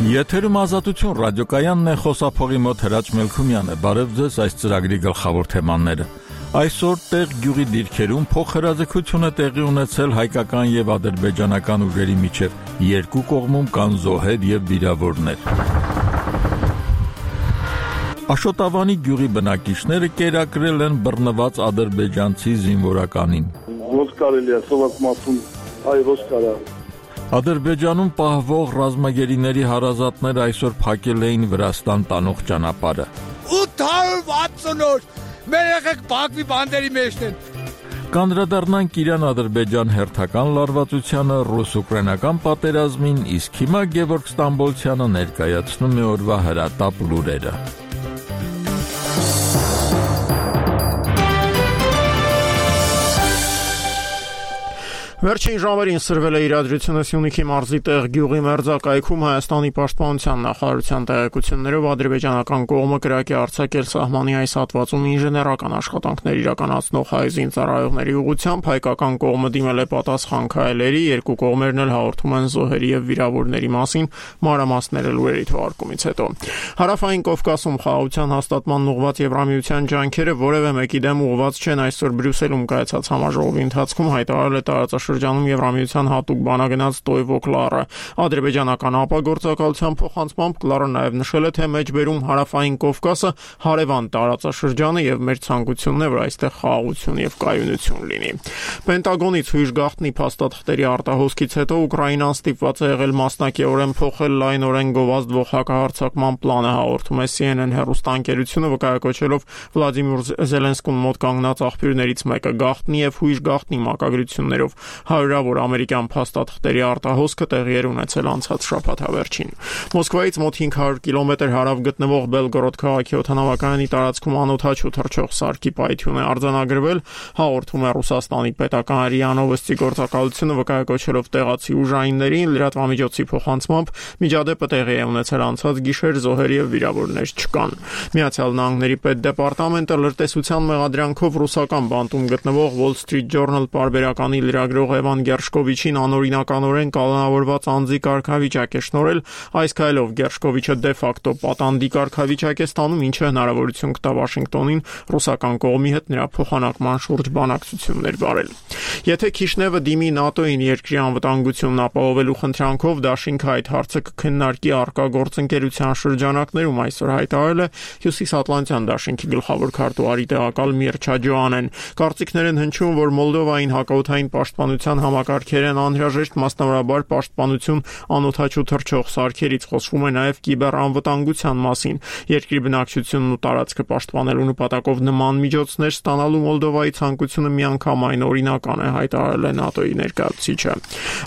Եթերում ազատություն ռադիոկայանն է, խոսափողի մոտ Հրաչ Մելքումյանը։ Բարև ձեզ, այս ծրագրի գլխավոր թեմաները։ Այսօր տեղ գյուղի դիրքերում փոխհրաձգություն է տեղի ունեցել հայկական եւ ադրբեջանական ուժերի միջև։ Երկու կողմում կան զոհեր եւ վիրավորներ։ Աշոտավանի գյուղի բնակիչները կերակրել են բռնված ադրբեջանցի զինվորականին։ Ոնց կարելի է սովորական մասում այ ոնց կարա Ադրբեջանում պահվող ռազմագերիների հարազատները այսօր փակել էին Վրաստան տանող ճանապարհը։ 860 օր մեր եղեք Բաքվի բանդերի մեջն են։ Կանդրադառնանք Իրան-Ադրբեջան հերթական լարվածությանը, ռուս-ուկրաինական պատերազմին, իսկ հիմա Գևորգ Ստամբոլցյանը ներկայացնում է օրվա հրատապ լուրերը։ Վերջին ժամերին սրվել է իրադրությունը Սյունիքի մարզի տեղ գյուղի մերձակայքում Հայաստանի պաշտպանության նախարարության տեղեկություններով ադրբեջանական կողմը կրակի արձակել սահմանի այս հատվածում ինժեներական աշխատանքներ իրականացնող հայ զինծառայողների ուղղությամբ, հայկական կողմը դիմել է պատասխան քայլերի, երկու կողմերն էլ հաղորդում են զոհերի եւ վիրավորների մասին, մանրամասները լուրերի թողարկումից հետո։ Հարավային Կովկասում խաղաղության հաստատման ուղղված Եվրամիության ջանքերը որևէ մեկի դեմ ուղղված չեն, այսօր Բրյուսելում կայացած համաժողովի ընթացքում հայտարարել է տարածաշրջանում Եվրամիության հատուկ բանագնաց Տոյվո Կլարը։ Ադրբեջանական ապագործակալության փոխանցմամբ Կլարը նաև նշել է, թե մեջբերում Հարավային Կովկասը հարևան տարածաշրջանը եւ մեր ցանկությունն է, որ այստեղ խաղաղություն եւ կայունություն լինի։ Պենտագոնից հույժ գաղտնի փաստաթղթերի արտահոսքից հետո Ուկրաինան ստիպված է եղել մասնակիորեն փոխել լայնորեն գովազդվող հակահարձակման պլանը, հաղորդում է CNN հեռուստաընկերությունը, վկայակոչելով Վլադիմիր Զելենսկուն մոտ կանգնած աղբյուրներից մեկը։ Գաղտնի եւ հույժ գաղտնի մակագրություններով հարյուրավոր ամերիկյան փաստաթղթերի արտահոսքը տեղի էր ունեցել անցած շաբաթավերջին։ Մոսկվայից մոտ 500 կիլոմետր հարավ գտնվող Բելգորոդ քաղաքի օդանավակայանի տարածքում անօդաչու թռչող սարքի պայթյուն է արձանագրվել, հաղորդում է Ռուսաստանի պետական ՌԻԱ Նովոստի գործակալությունը, վկայակոչելով տեղացի ուժայիններին, լրատվամիջոցի փոխանցմամբ միջադեպը տեղի է ունեցել անցած գիշեր, զոհեր եւ վիրավորներ չկան։ Միացյալ Նահանգների պետդեպարտամենտը լրտեսության մեղադրանքով ռուսական բանտում գտնվող Wall Street Journal պարբերականի լրագրող Էվան Գերշկովիչին անօրինականորեն կալանավորված անձի կարգավիճակ է շնորհել, այս քայլով Գերշկովիչը դե ֆակտո պատանդի կարգավիճակ է ստանում, ինչը հնարավորություն կտա Վաշինգտոնին ռուսական կողմի հետ նրա փոխանակման շուրջ բանակցություններ վարել։ Եթե Քիշնևը դիմի ՆԱՏՕ-ին երկրի անվտանգությունն ապահովելու խնդրանքով, դաշինքը այդ հարցը կքննարկի առկա գործընկերության շրջանակներում, այսօր հայտարարել է Հյուսիսատլանտյան դաշինքի գլխավոր քարտուղարի տեղակալ Միրչա Ջոանեն։ Կարծիքներ են հնչում, որ Մոլդովային հակաօդային պաշտպանության համակարգեր են անհրաժեշտ, մասնավորաբար պաշտպանություն անօդաչու թռչող սարքերից, խոսվում է նաև կիբերանվտանգության մասին։ Երկրի բնակչությունն ու տարածքը պաշտպանելու նպատակով նման միջոցներ ստանալու Մոլդովայի ցանկությունը միանգամայն օրինական է, հայտարարել է ՆԱՏՕ-ի ներկայացուցիչը։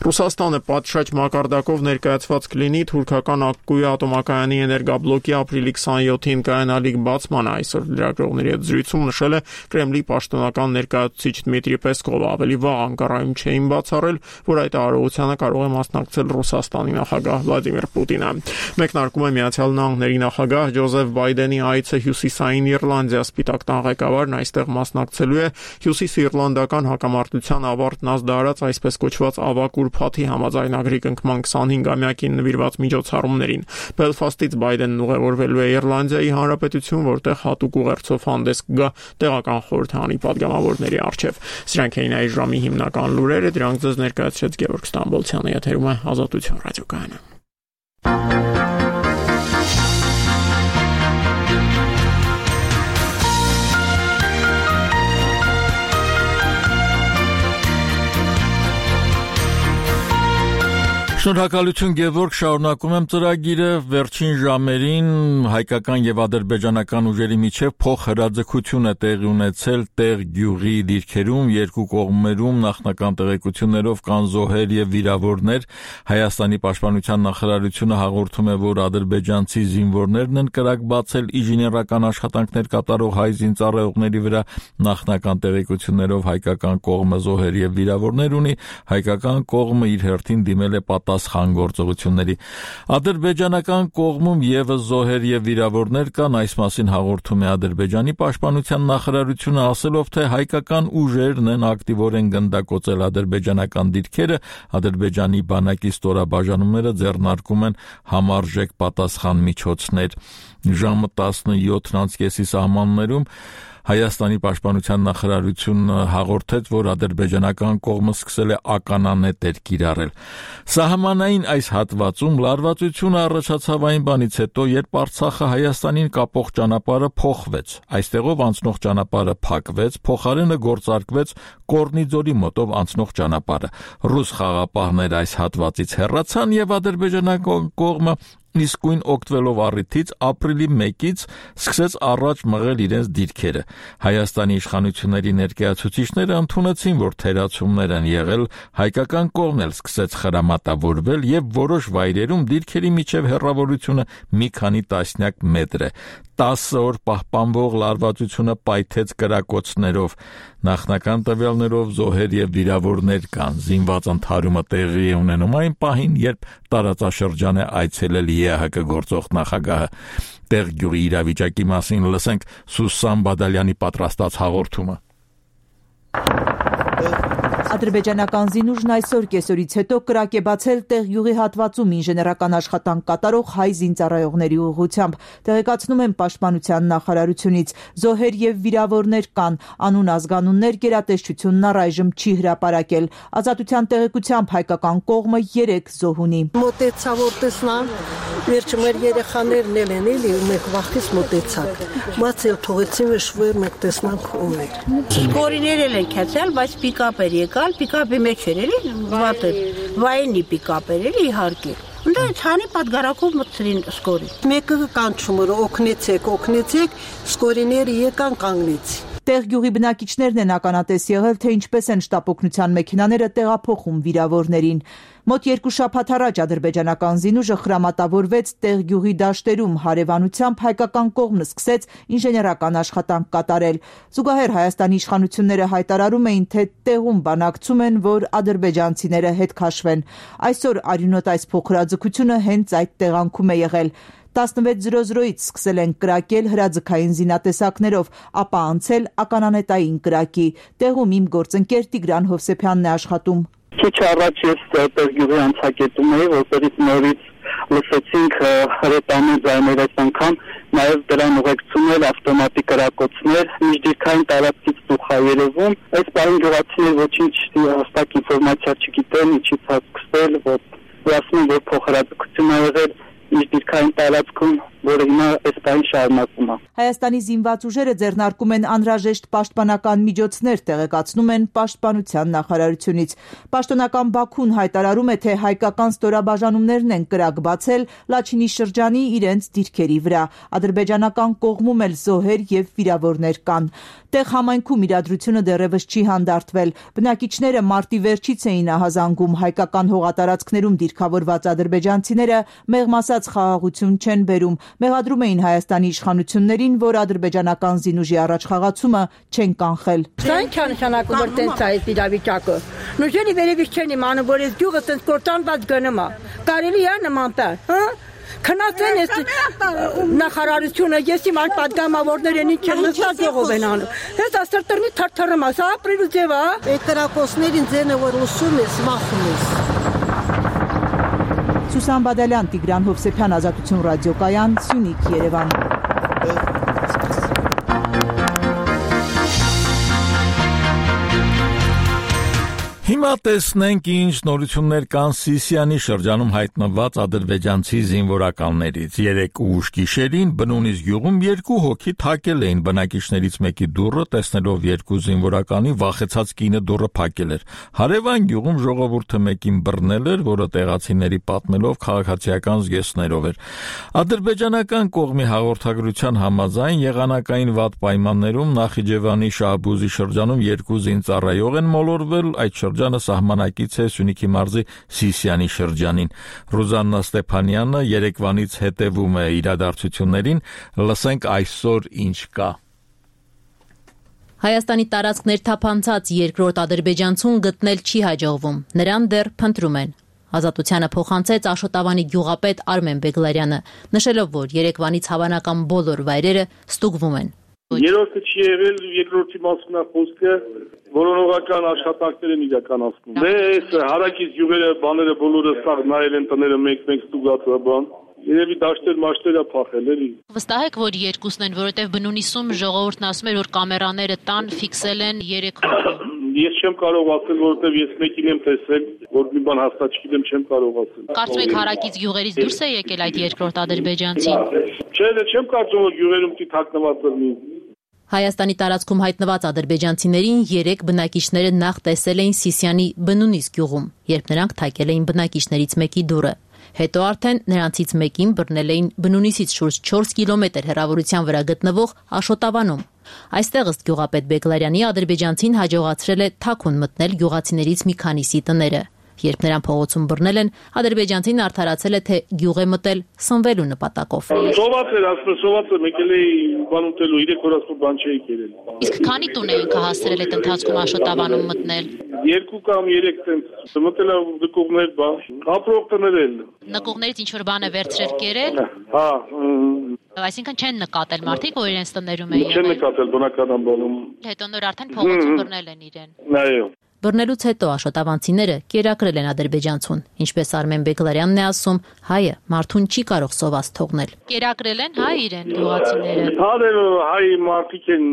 Ռուսաստանը պատշաճ մակարդակով ներկայացված կլինի թուրքական Ակկուի ատոմակայանի էներգաբլոկի ապրիլի 27-ին կայանալիք բացմանը, այսօր լրագրողների հետ զրույցում նշել է Կրեմլի պաշտոնական ներկայացուցիչ Դմիտրի Պեսկովը, ավելի վաղ Անկարայում չէին բացառել, որ այդ արարողությանը կարող է մասնակցել Ռուսաստանի նախագահ Վլադիմիր Պուտինը։ Մեկնարկում է Միացյալ Նահանգների նախագահ Ջոզեֆ Բայդենի այցը Հյուսիսային Իռլանդիա, Սպիտակ տան ղեկավարն այստեղ մասնակցելու է հյուսիսիռլանդական հակամարտության ավարտն ազդարարած այսպես կոչված ավակ ուրբաթի համաձայնագրի կնքման 25-ամյակին նվիրված միջոցառումներին։ Բելֆաստից Բայդենն ուղևորվելու է Իռլանդիայի Հանրապետություն, որտեղ հատուկ ուղերձով հանդես կգա տեղական խորհրդանի պատգամավորների առջև։ Սրանք էին այս ժամի հիմնական լուրերը, դրանք ձեզ ներկայացրեց Գևորգ Ստամբոլցյանը, եթերում է Ազատություն ռադիոկայանը։ Շնորհակալություն Գևորգ, շարունակում եմ ծրագիրը։ Վերջին ժամերին հայկական եւ ադրբեջանական ուժերի միջև փոխհրաձգություն է տեղի ունեցել տեղ գյուղի դիրքերում, երկու կողմերում նախնական տեղեկություններով կան զոհեր եւ վիրավորներ։ Հայաստանի պաշտպանության նախարարությունը հաղորդում է, որ ադրբեջանցի զինվորներն են կրակ բացել ինժեներական աշխատանքներ կատարող հայ զինծառայողների վրա, նախնական տեղեկություններով հայկական կողմը զոհեր եւ վիրավորներ ունի, հայկական կողմը իր հերթին դիմել է պատասխան գործողությունների։ Ադրբեջանական կողմում ևս զոհեր եւ վիրավորներ կան, այս մասին հաղորդում է Ադրբեջանի պաշտպանության նախարարությունը, ասելով, թե հայկական ուժերն են ակտիվորեն գնդակոծել ադրբեջանական դիրքերը, Ադրբեջանի բանակի ստորաբաժանումները ձեռնարկում են համարժեք պատասխան միջոցներ։ Ժամը 17:30-ի սահմաններում Հայաստանի պաշտպանության նախարարությունը հաղորդեց, որ ադրբեջանական կողմը սկսել է ականանետեր կիրառել։ Սահմանային այս հատվածում լարվածությունը առաջացավ այն բանից հետո, երբ Արցախը Հայաստանին կապող ճանապարհը փոխվեց։ Այստեղով անցնող ճանապարհը փակվեց, փոխարենը գործարկվեց Կորնիձորի մոտով անցնող ճանապարհը։ Ռուս խաղապահները այս հատվածից հեռացան եւ ադրբեջանական կողմը իսկույն օգտվելով առիթից ապրիլի 1-ից սկսեց առաջ մղել իրենց դիրքերը։ Հայաստանի իշխանությունների ներկայացուցիչները ընդունեցին, որ թերացումներ են եղել, հայկական կողմն էլ սկսեց խրամատավորվել եւ որոշ վայրերում դիրքերի միջև հեռավորությունը մի քանի տասնյակ մետր է։ 10 օր պահպանվող լարվածությունը պայթեց կրակոցներով։ Նախնական տվյալներով զոհեր եւ վիրավորներ կան։ Զինված ընդհարումը տեղի է ունենում այն պահին, երբ տարածաշրջան է այցելել ԵԱՀԿ գործող նախագահը։ Տեղ գյուղի իրավիճակի մասին լսենք Սուսան Բադալյանի պատրաստած հաղորդումը։ Ադրբեջանական զինուժն այսօր կեսօրից հետո կրակ է բացել տեղ յուղի հատվածում ինժեներական աշխատանք կատարող հայ զինծառայողների ուղղությամբ։ Տեղեկացնում են պաշտպանության նախարարությունից։ Զոհեր եւ վիրավորներ կան, անուն ազգանուններ գերատեսչությունն առայժմ չի հրապարակել։ Ազատության տեղեկությամբ հայկական կողմը 3 զոհ ունի։ Մոտեցա որ տեսնան, վերջը մեր երեխաներն են էլի, մեկ վախից մոտեցակ։ Բացել թողեցին շվեր մեկ տեսնանք ում է։ Սկորիներ են քացել, բայց պիկապ էր եկալ, պիկապի մեջ էր էլի, վատը, վայնի պիկապ էր էլի իհարկե։ Դա ցանի պատգարակով մտցրին սկորի։ Մեկը կանչում էր օգնեցեք, սկորիները եկան կանգնեցին։ Տեղ գյուղի բնակիչներն են ականատես եղել, թե ինչպես են շտապօգնության մեքենաները տեղափոխում վիրավորներին։ Մոտ 2 շաբաթ առաջ ադրբեջանական զինուժը խրամատավորվեց տեղ գյուղի դաշտերում, հարևանությամբ հայկական կողմն սկսեց ինժեներական աշխատանք կատարել։ Զուգահեռ Հայաստանի իշխանությունները հայտարարում էին, թե տեղում բանակցում են, որ ադրբեջանցիները հետ քաշվեն։ Այսօր արյունոտ այս փոքրաձգությունը հենց այդ տեղանքում է եղել։ 16:00-ից սկսել են կրակել հրաձգային զինատեսակներով, ապա անցել ականանետային կրակի։ Տեղում իմ գործընկեր Տիգրան Հովսեփյանն է աշխատում։ Քիչ առաջ ես Տերգյուղի անցակետում էի, որտեղից նորից լսեցինք հրետանի ձայներ այս անգամ, նաև դրան ուղեկցում էր ավտոմատի կրակոցներ, միջդիրքային տարածքից դուխ է երևում։ Այս բանը գյուղացիներ ոչինչ հստակ ինֆորմացիա չգիտեն, ինչից է սկսել, որ ասում են, որ փոխհրաձգություն ա եղել միջդիրքային տարածքում, որը հիմա այս բանը շարունակում է։ Հայաստանի զինված ուժերը ձեռնարկում են անհրաժեշտ պաշտպանական միջոցներ, տեղեկացնում են պաշտպանության նախարարությունից։ Պաշտոնական Բաքուն հայտարարում է, թե հայկական ստորաբաժանումներն են կրակ բացել Լաչինի շրջանի իրենց դիրքերի վրա։ Ադրբեջանական կողմում էլ զոհեր եւ վիրավորներ կան։ Տեղ համայնքում իրադրությունը դեռևս չի հանդարտվել։ Բնակիչները մարտի վերջից էին ահազանգում հայկական հողատարածքներում դիրքավորված ադրբեջանցիները մեղմ ասած խաղաղություն չեն բերում։ Մեղադրում էին Հայաստանի իշխանություններին, որ ադրբեջանական զինուժի առաջխաղացումը չեն կանխել։ Սա ինչ է նշանակում, որ տենց է այս իրավիճակը։ Նույնիսկ վերևից չեն իմանում, որ այս գյուղը տենց կործանված գնում է։ Կարելի է նման տալ, հա։ Քնածեն ես նախարարությունը, ես իմ այլ պատգամավորներ ինչ են նստած ողով են անում։ Ես աստրտնի թարթարում ասա, ապրիլու ձև է։ Այդ կրակոցներին ձենը որ լսում ես, մախում ես։ Սուսան Բադալյան, Տիգրան Հովսեփյան, Ազատություն ռադիոկայան, Սյունիք, Երևան։ Հիմա տեսնենք ինչ նորություններ կան Սիսիանի շրջանում հայտնված ադրբեջանցի զինվորականներից։ 3 ուշ գիշերին բնունից գյուղում 2 հոգի թակել էին բնակիչներից մեկի դուռը, տեսնելով 2 զինվորականի վախեցած կինը դուռը փակել էր։ Հարևան գյուղում ժողովուրդը մեկին բռնել էր, որը տեղացիների պատմելով քաղաքացիական զգեստներով էր։ Ադրբեջանական կողմի հաղորդագրության համաձայն եղանակային վատ պայմաններում Նախիջևանի Շահբուզի շրջանում 2 զինծառայող են մոլորվել, այդ շրջանը սահմանակից է Սյունիքի մարզի Սիսիանի շրջանին։ Ռուզաննա Ստեփանյանը երեկվանից հետևում է իրադարձություններին, լսենք այսօր ինչ կա։ Հայաստանի տարածքներ թափանցած երկրորդ ադրբեջանցուն գտնել չի հաջողվում, նրան դեռ փնտրում են։ Ազատությանը փոխանցեց Աշոտավանի գյուղապետ Արմեն Բեգլարյանը, նշելով, որ Երևանից հավանական բոլոր վայրերը ստուգվում են։ Երրորդը չի եղել, երկրորդի մասն է խոսքը, որոնողական աշխատանքներ են իրականացնում։ Այս հարակից գյուղերը, բաները բոլորը սաղ նայել են տները մեկ-մեկ ստուգածը բան։ Երևի դաշտեր-մաշտեր է փախել էլի։ Վստահ եք, որ երկուսն են, որովհետև բնունիսում ժողովուրդն ասում էր, որ կամերաները տան ֆիքսել են 3 հոգի։ Ես չեմ կարող ասել, որովհետև ես մեկին եմ տեսել, որ մի բան հաստատ չգիտեմ, չեմ կարող ասել։ Կարծում եք հարակից գյուղերից դուրս է եկել այդ երկրորդ ադրբեջանցին։ Չէ, չեմ կարծում, որ գյուղերում պիտի թաքնված լինի։ Հայաստանի տարածքում հայտնված ադրբեջանցիներին 3 բնակիչները նախ տեսել էին Սիսիանի բնունիս գյուղում, երբ նրանք թակել էին բնակիչներից մեկի դուռը։ Հետո արդեն նրանցից մեկին բռնել էին բնունիսից շուրջ 4 կիլոմետր հեռավորության վրա գտնվող Աշոտավանում։ Այստեղ ըստ գյուղապետ Բեգլարյանի ադրբեջանցին հաջողացրել է թաքուն մտնել գյուղացիներից մի քանիսի տները։ Երբ նրան փողոցում բռնել են, ադրբեջանցին արդարացել է, թե գյուղ է մտել սնվելու նպատակով։ Սոված էր, ասում սովածը եկել է բան ուտելու, 3 օր ասում բան չէի կերել։ Իսկ քանի տուն էինք հասցրել այդ ընթացքում Աշոտավանում մտնել։ 2 կամ 3 տենց մտել է նկողներ, բա ապրող տներ էլ։ Նկողներից ինչ որ բան է վերցրել կերել։ Հա։ Այսինքն չեն նկատել մարդիկ, որ իրենց տներում էին։ Չեն նկատել բնական բանում։ Հետո նոր արդեն փողոցում բռնել են իրեն։ Այո։ Բռնելուց հետո աշոտավանցիները կերակրել են ադրբեջանցուն, ինչպես Արմեն Բեգլարյանն է ասում, հայը մարդուն չի կարող սոված թողնել։ Կերակրել են հայ իրեն գյուղացիները։ Հայ մարդիկ են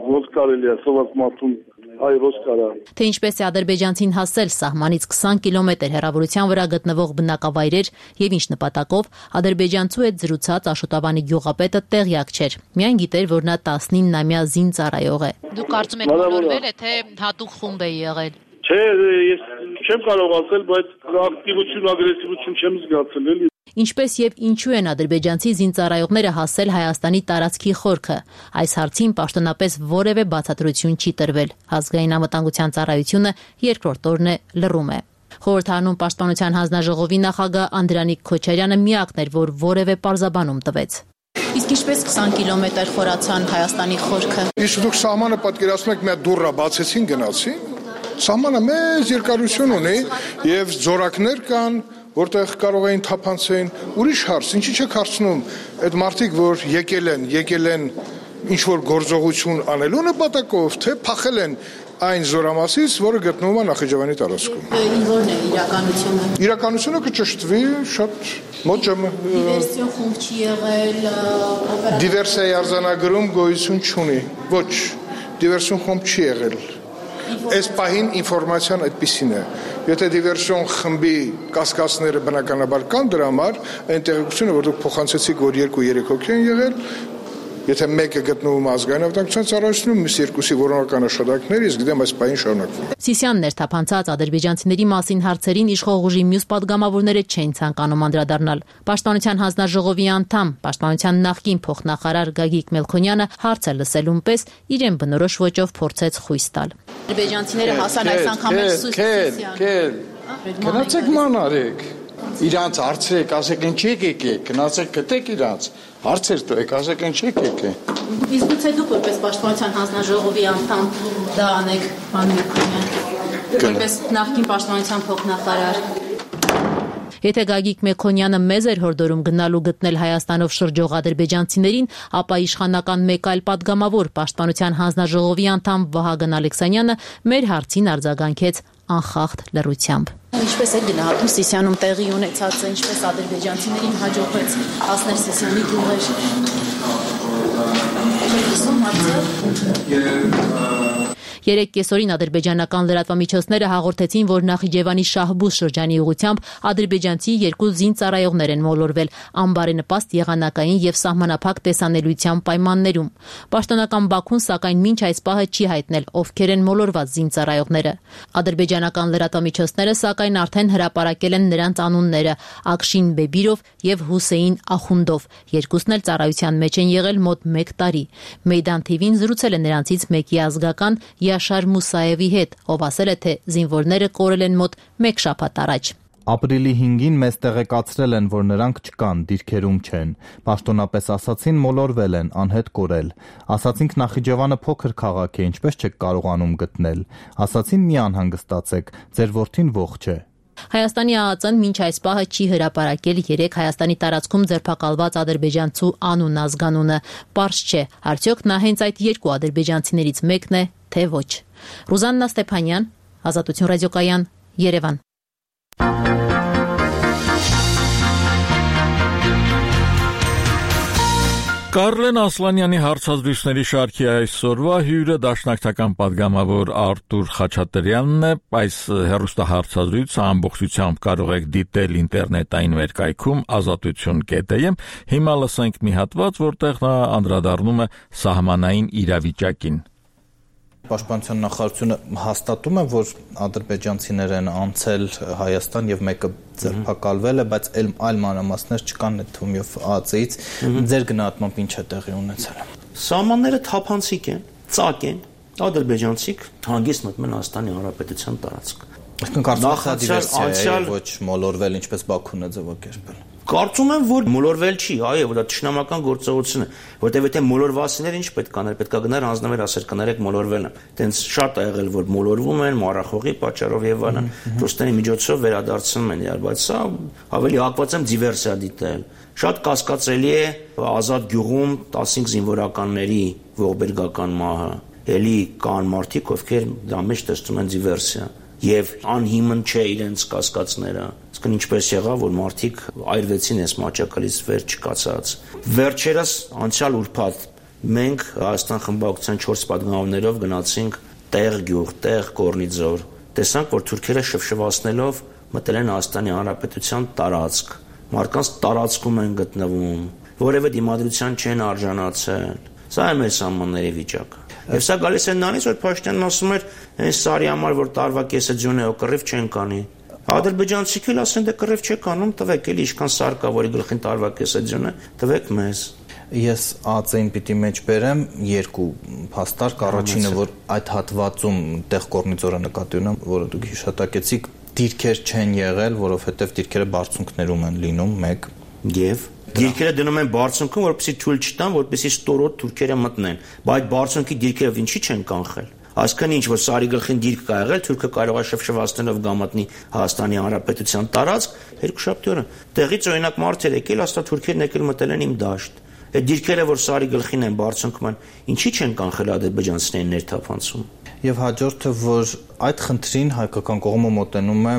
ոնց կարելի է սոված մարդուն հայ ոնց կարա։ Թե ինչպես է ադրբեջանցին հասել սահմանից 20 կիլոմետր հեռավորության վրա գտնվող բնակավայրեր եւ ինչ նպատակով, ադրբեջանցու հետ զրուցած Աշոտավանի գյուղապետը տեղյակ չէր։ Միայն գիտեր, որ նա 19-ամյա զինծառայող է։ Դուք կարծում եք մոլորվել է, թե հատուկ խումբ է եղել։ Չէ, ես չեմ կարող ասել, բայց ակտիվություն, ագրեսիվություն չեմ զգացել էլի։ Ինչպես եւ ինչու են ադրբեջանցի զինծառայողները հասել Հայաստանի տարածքի խորքը։ Այս հարցին պաշտոնապես որևէ բացատրություն չի տրվել։ Ազգային անվտանգության ծառայությունը երկրորդ օրն է լռում է։ Խորհրդարանում պաշտպանության հանձնաժողովի նախագահ Անդրանիկ Քոչարյանը միակն էր, որ որևէ պարզաբանում տվեց։ Իսկ ինչպես 20 կիլոմետր խորացան Հայաստանի խորքը։ Իսկ դուք սահմանը պատկերացնում եք, մի հատ դուռը բացեցին, գնացին։ Սահմանը մեծ երկարություն ունի եւ ձորակներ կան, որտեղ կարող էին թափանցեն։ Ուրիշ հարց, ինչի՞ չեք հարցնում, այդ մարդիկ, որ եկել են ինչ որ գործողություն անելու նպատակով, թե փախել են այն զորամասից, որը գտնվում է Նախիջևանի տարածքում։ Որն է իրականությունը։ Իրականությունը կճշտվի շատ մոտ ժամը։ Դիվերսիոն խումբ չի եղել, դիվերսիայի արձանագրում գոյություն չունի։ Ոչ, դիվերսիոն խումբ չի եղել։ Այս պահին ինֆորմացիան այդպիսին է։ Եթե դիվերսիոն խմբի կասկածները բնականաբար կան դրա համար, այն տեղեկությունը, որ դուք փոխանցեցիք, որ 2-3 հոգի են եղել, եթե մեկը գտնվում ազգային անվտանգության ծառայությունում, մյուս երկուսի որոնական աշխատանքներ, իսկ գիտեմ այս պահին շարունակվում։ Սիսյանն էր թափանցած ադրբեջանցիների մասին հարցերին իշխող ուժի մյուս падգամավորները չէին ցանկանում անդրադառնալ։ Պաշտպանության հանձնաժողովի անդամ, պաշտպանության նախկին փոխնախարար Գագիկ Մելքոնյանը հարցը լսելուն պես իրեն բնորոշ ոճով փորձեց խույս տալ։ Ադրբեջանցիները հասան այս անգամ էլ Սիսյան։ Գնացեք ման արեք։ Իրանց հարցրեք, ասեք ինչ եկեք, գնացեք գտեք իրանց։ Հարցեր տվեք, ասեք ինչ եկեք։ Իսկ գուցե դուք որպես պաշտպանության հանձնաժողովի անդամ դա անեք, պարոն Մելքոնյան։ Որպես նախկին պաշտպանության փոխնախարար։ Եթե Գագիկ Մելքոնյանը մեզ էր հորդորում գնալու գտնել Հայաստանով շրջող ադրբեջանցիներին, ապա իշխանական մեկ այլ падգամավոր պաշտպանության հանձնաժողովի անդամ Վահագն Ալեքսանյանը մեր հարցին արձագանքեց անխախտ լռությամբ։ Ինչպես է գնահատում Սիսիանում տեղի ունեցածը, ինչպես ադրբեջանցիներին հաջողվեց հասնել Սիսիանի գյուղեր։ Երեկ կեսօրին ադրբեջանական լրատվամիջոցները հաղորդեցին, որ Նախիջևանի Շահբուզ շրջանի ուղղությամբ ադրբեջանցի 2 զինծառայողներ են մոլորվել անբարենպաստ եղանակային եւ սահմանափակ տեսանելիության պայմաններում։ Պաշտոնական Բաքուն սակայն մինչ այս պահը չի հայտնել, ովքեր են մոլորված զինծառայողները։ Ադրբեջանական լրատվամիջոցները սակայն արդեն հրապարակել են նրանց անունները՝ Ակշին Բեբիրով եւ Հուսեյն Ախունդով։ Երկուսն էլ ծառայության մեջ են եղել մոտ 1 տարի։ Մեյդան TV-ն զրուցել է նրանցից մեկի ազգական Յաշար Մուսաևի հետ, ով ասել է, թե զինվորները կորել են մոտ 1 շաբաթ առաջ։ Ապրիլի 5-ին մեզ տեղեկացրել են, որ նրանք չկան, դիրքերում չեն։ Պաշտոնապես ասացին, մոլորվել են, անհետ կորել։ Ասացինք Նախիջևանը փոքր քաղաք է, ինչպես չեք կարողանում գտնել։ Ասացին մի անհանգստացեք, ձեր որդին ողջ է։ Հայաստանի ԱԱԾ-ն մինչ այս պահը չի հրապարակել 3 Հայաստանի տարածքում ձերբակալված ադրբեջանցու անուն-ազգանունը։ Պարզ չէ, արդյոք նա հենց այդ 2 ադրբեջանցիներից մեկն է, թե ոչ։ Ռուզաննա Ստեփանյան, Ազատություն ռադիոկայան, Երևան։ Կարլեն Ասլանյանի հարցազրույցների շարքի այսօրվա հյուրը դաշնակցական պատգամավոր Արտուր Խաչատրյանն է։ Այս հեռուստահարցազրույցը ամբողջությամբ կարող եք դիտել ինտերնետային վերկայքում azatutun.am։ Հիմա լսենք մի հատված, որտեղ նա անդրադառնում է սահմանային իրավիճակին։ Պաշտպանության նախարարությունը հաստատում է, որ ադրբեջանցիներ են անցել Հայաստան եւ մեկը ձերբակալվել է, բայց այլ մանրամասներ չկան այդ թումյով ԱԱԾ-ից։ Ձեր գնահատմամբ ինչ է տեղի ունեցել։ Սահմանները թափանցիկ են, ծակ են, ադրբեջանցիք հանգիստ մտնում են Հայաստանի Հանրապետության տարածք։ Նախացիա ոչ մոլորվել, ինչպես Բաքուն է ձևակերպել։ Կարծում եմ, որ մոլորվել չի, այո, դա ճշնամական գործողություն է, որտեղ եթե մոլորվասիներ ինչ պետք աներ, պետք է գնար հանձնվեր ասեր կներեք մոլորվել են։ Տենց շատ է եղել, որ մոլորվում են մառախողի պատճառով եւ այլն, ռուսների միջոցով վերադարձնում են իրար, բայց սա ավելի հակված եմ դիվերսիա դիտել։ Շատ կասկածելի է Ազատ գյուղում 15 զինվորականների ողբերգական մահը։ Էլի կան մարդիկ, ովքեր դրա մեջ տեսնում են դիվերսիա եւ անհիմն չէ իրենց կասկածները։ Իսկ ինչպես եղավ, որ մարդիկ այրվեցին այս մաճակալից վեր չկացած։ Վերջերս անցյալ ուրբաթ մենք Հայաստան խմբակցության 4 պատգամավորներով գնացինք տեղ գյուղ, տեղ Կորնիձոր։ Տեսանք, որ թուրքերը շվշվացնելով մտել են Հայաստանի Հանրապետության տարածք։ Մարդկանց տարածքում են գտնվում, որևէ դիմադրության չեն արժանացել։ Սա է մեր սահմանների վիճակը։ Եվ սա գալիս է նրանից, որ Փաշինյանն ասում էր, այս սարի համար, որ տարվա կեսը ձյուն է, ու կռիվ չեն կանի։ Ադրբեջանցիք էլ ասեն, դե կռիվ չեք անում, տվեք էլի ինչքան սար կա, որի գլխին տարվա կեսը ձյուն է, տվեք մեզ։ Ես ԱԱԾ-ին պիտի մեջ բերեմ 2 փաստարկ, առաջինը, որ այդ հատվածում տեղ Կորնիձորը նկատի ունեմ, որը դուք հիշատակեցիք, դիրքեր չեն եղել, որովհետև դիրքերը բարձունքներում են լինում, 1 եւ դիրքերը դնում են բարձունքում, որպեսզի թույլ չտան, որպեսզի ստորոտ թուրքերը մտնեն, բայց բարձունքի դիրքերը ինչի չեն կանխել։ Այսքան ինչ որ սարի գլխին դիրք կա եղել, թուրքը կարող է շվշվացնելով գամատնի Հայաստանի Հանրապետության տարածք, երկուշաբթի օրը տեղից օրինակ մարդեր եկել, հաստատ թուրքերն եկել մտել են իմ դաշտ։ Այդ դիրքերը, որ սարի գլխին են բարձունքում են, ինչի չեն կանխել ադրբեջանցիներին ներթափանցում։ Եվ հաջորդը, որ այդ խնդրին հայկական կողմը մոտենում է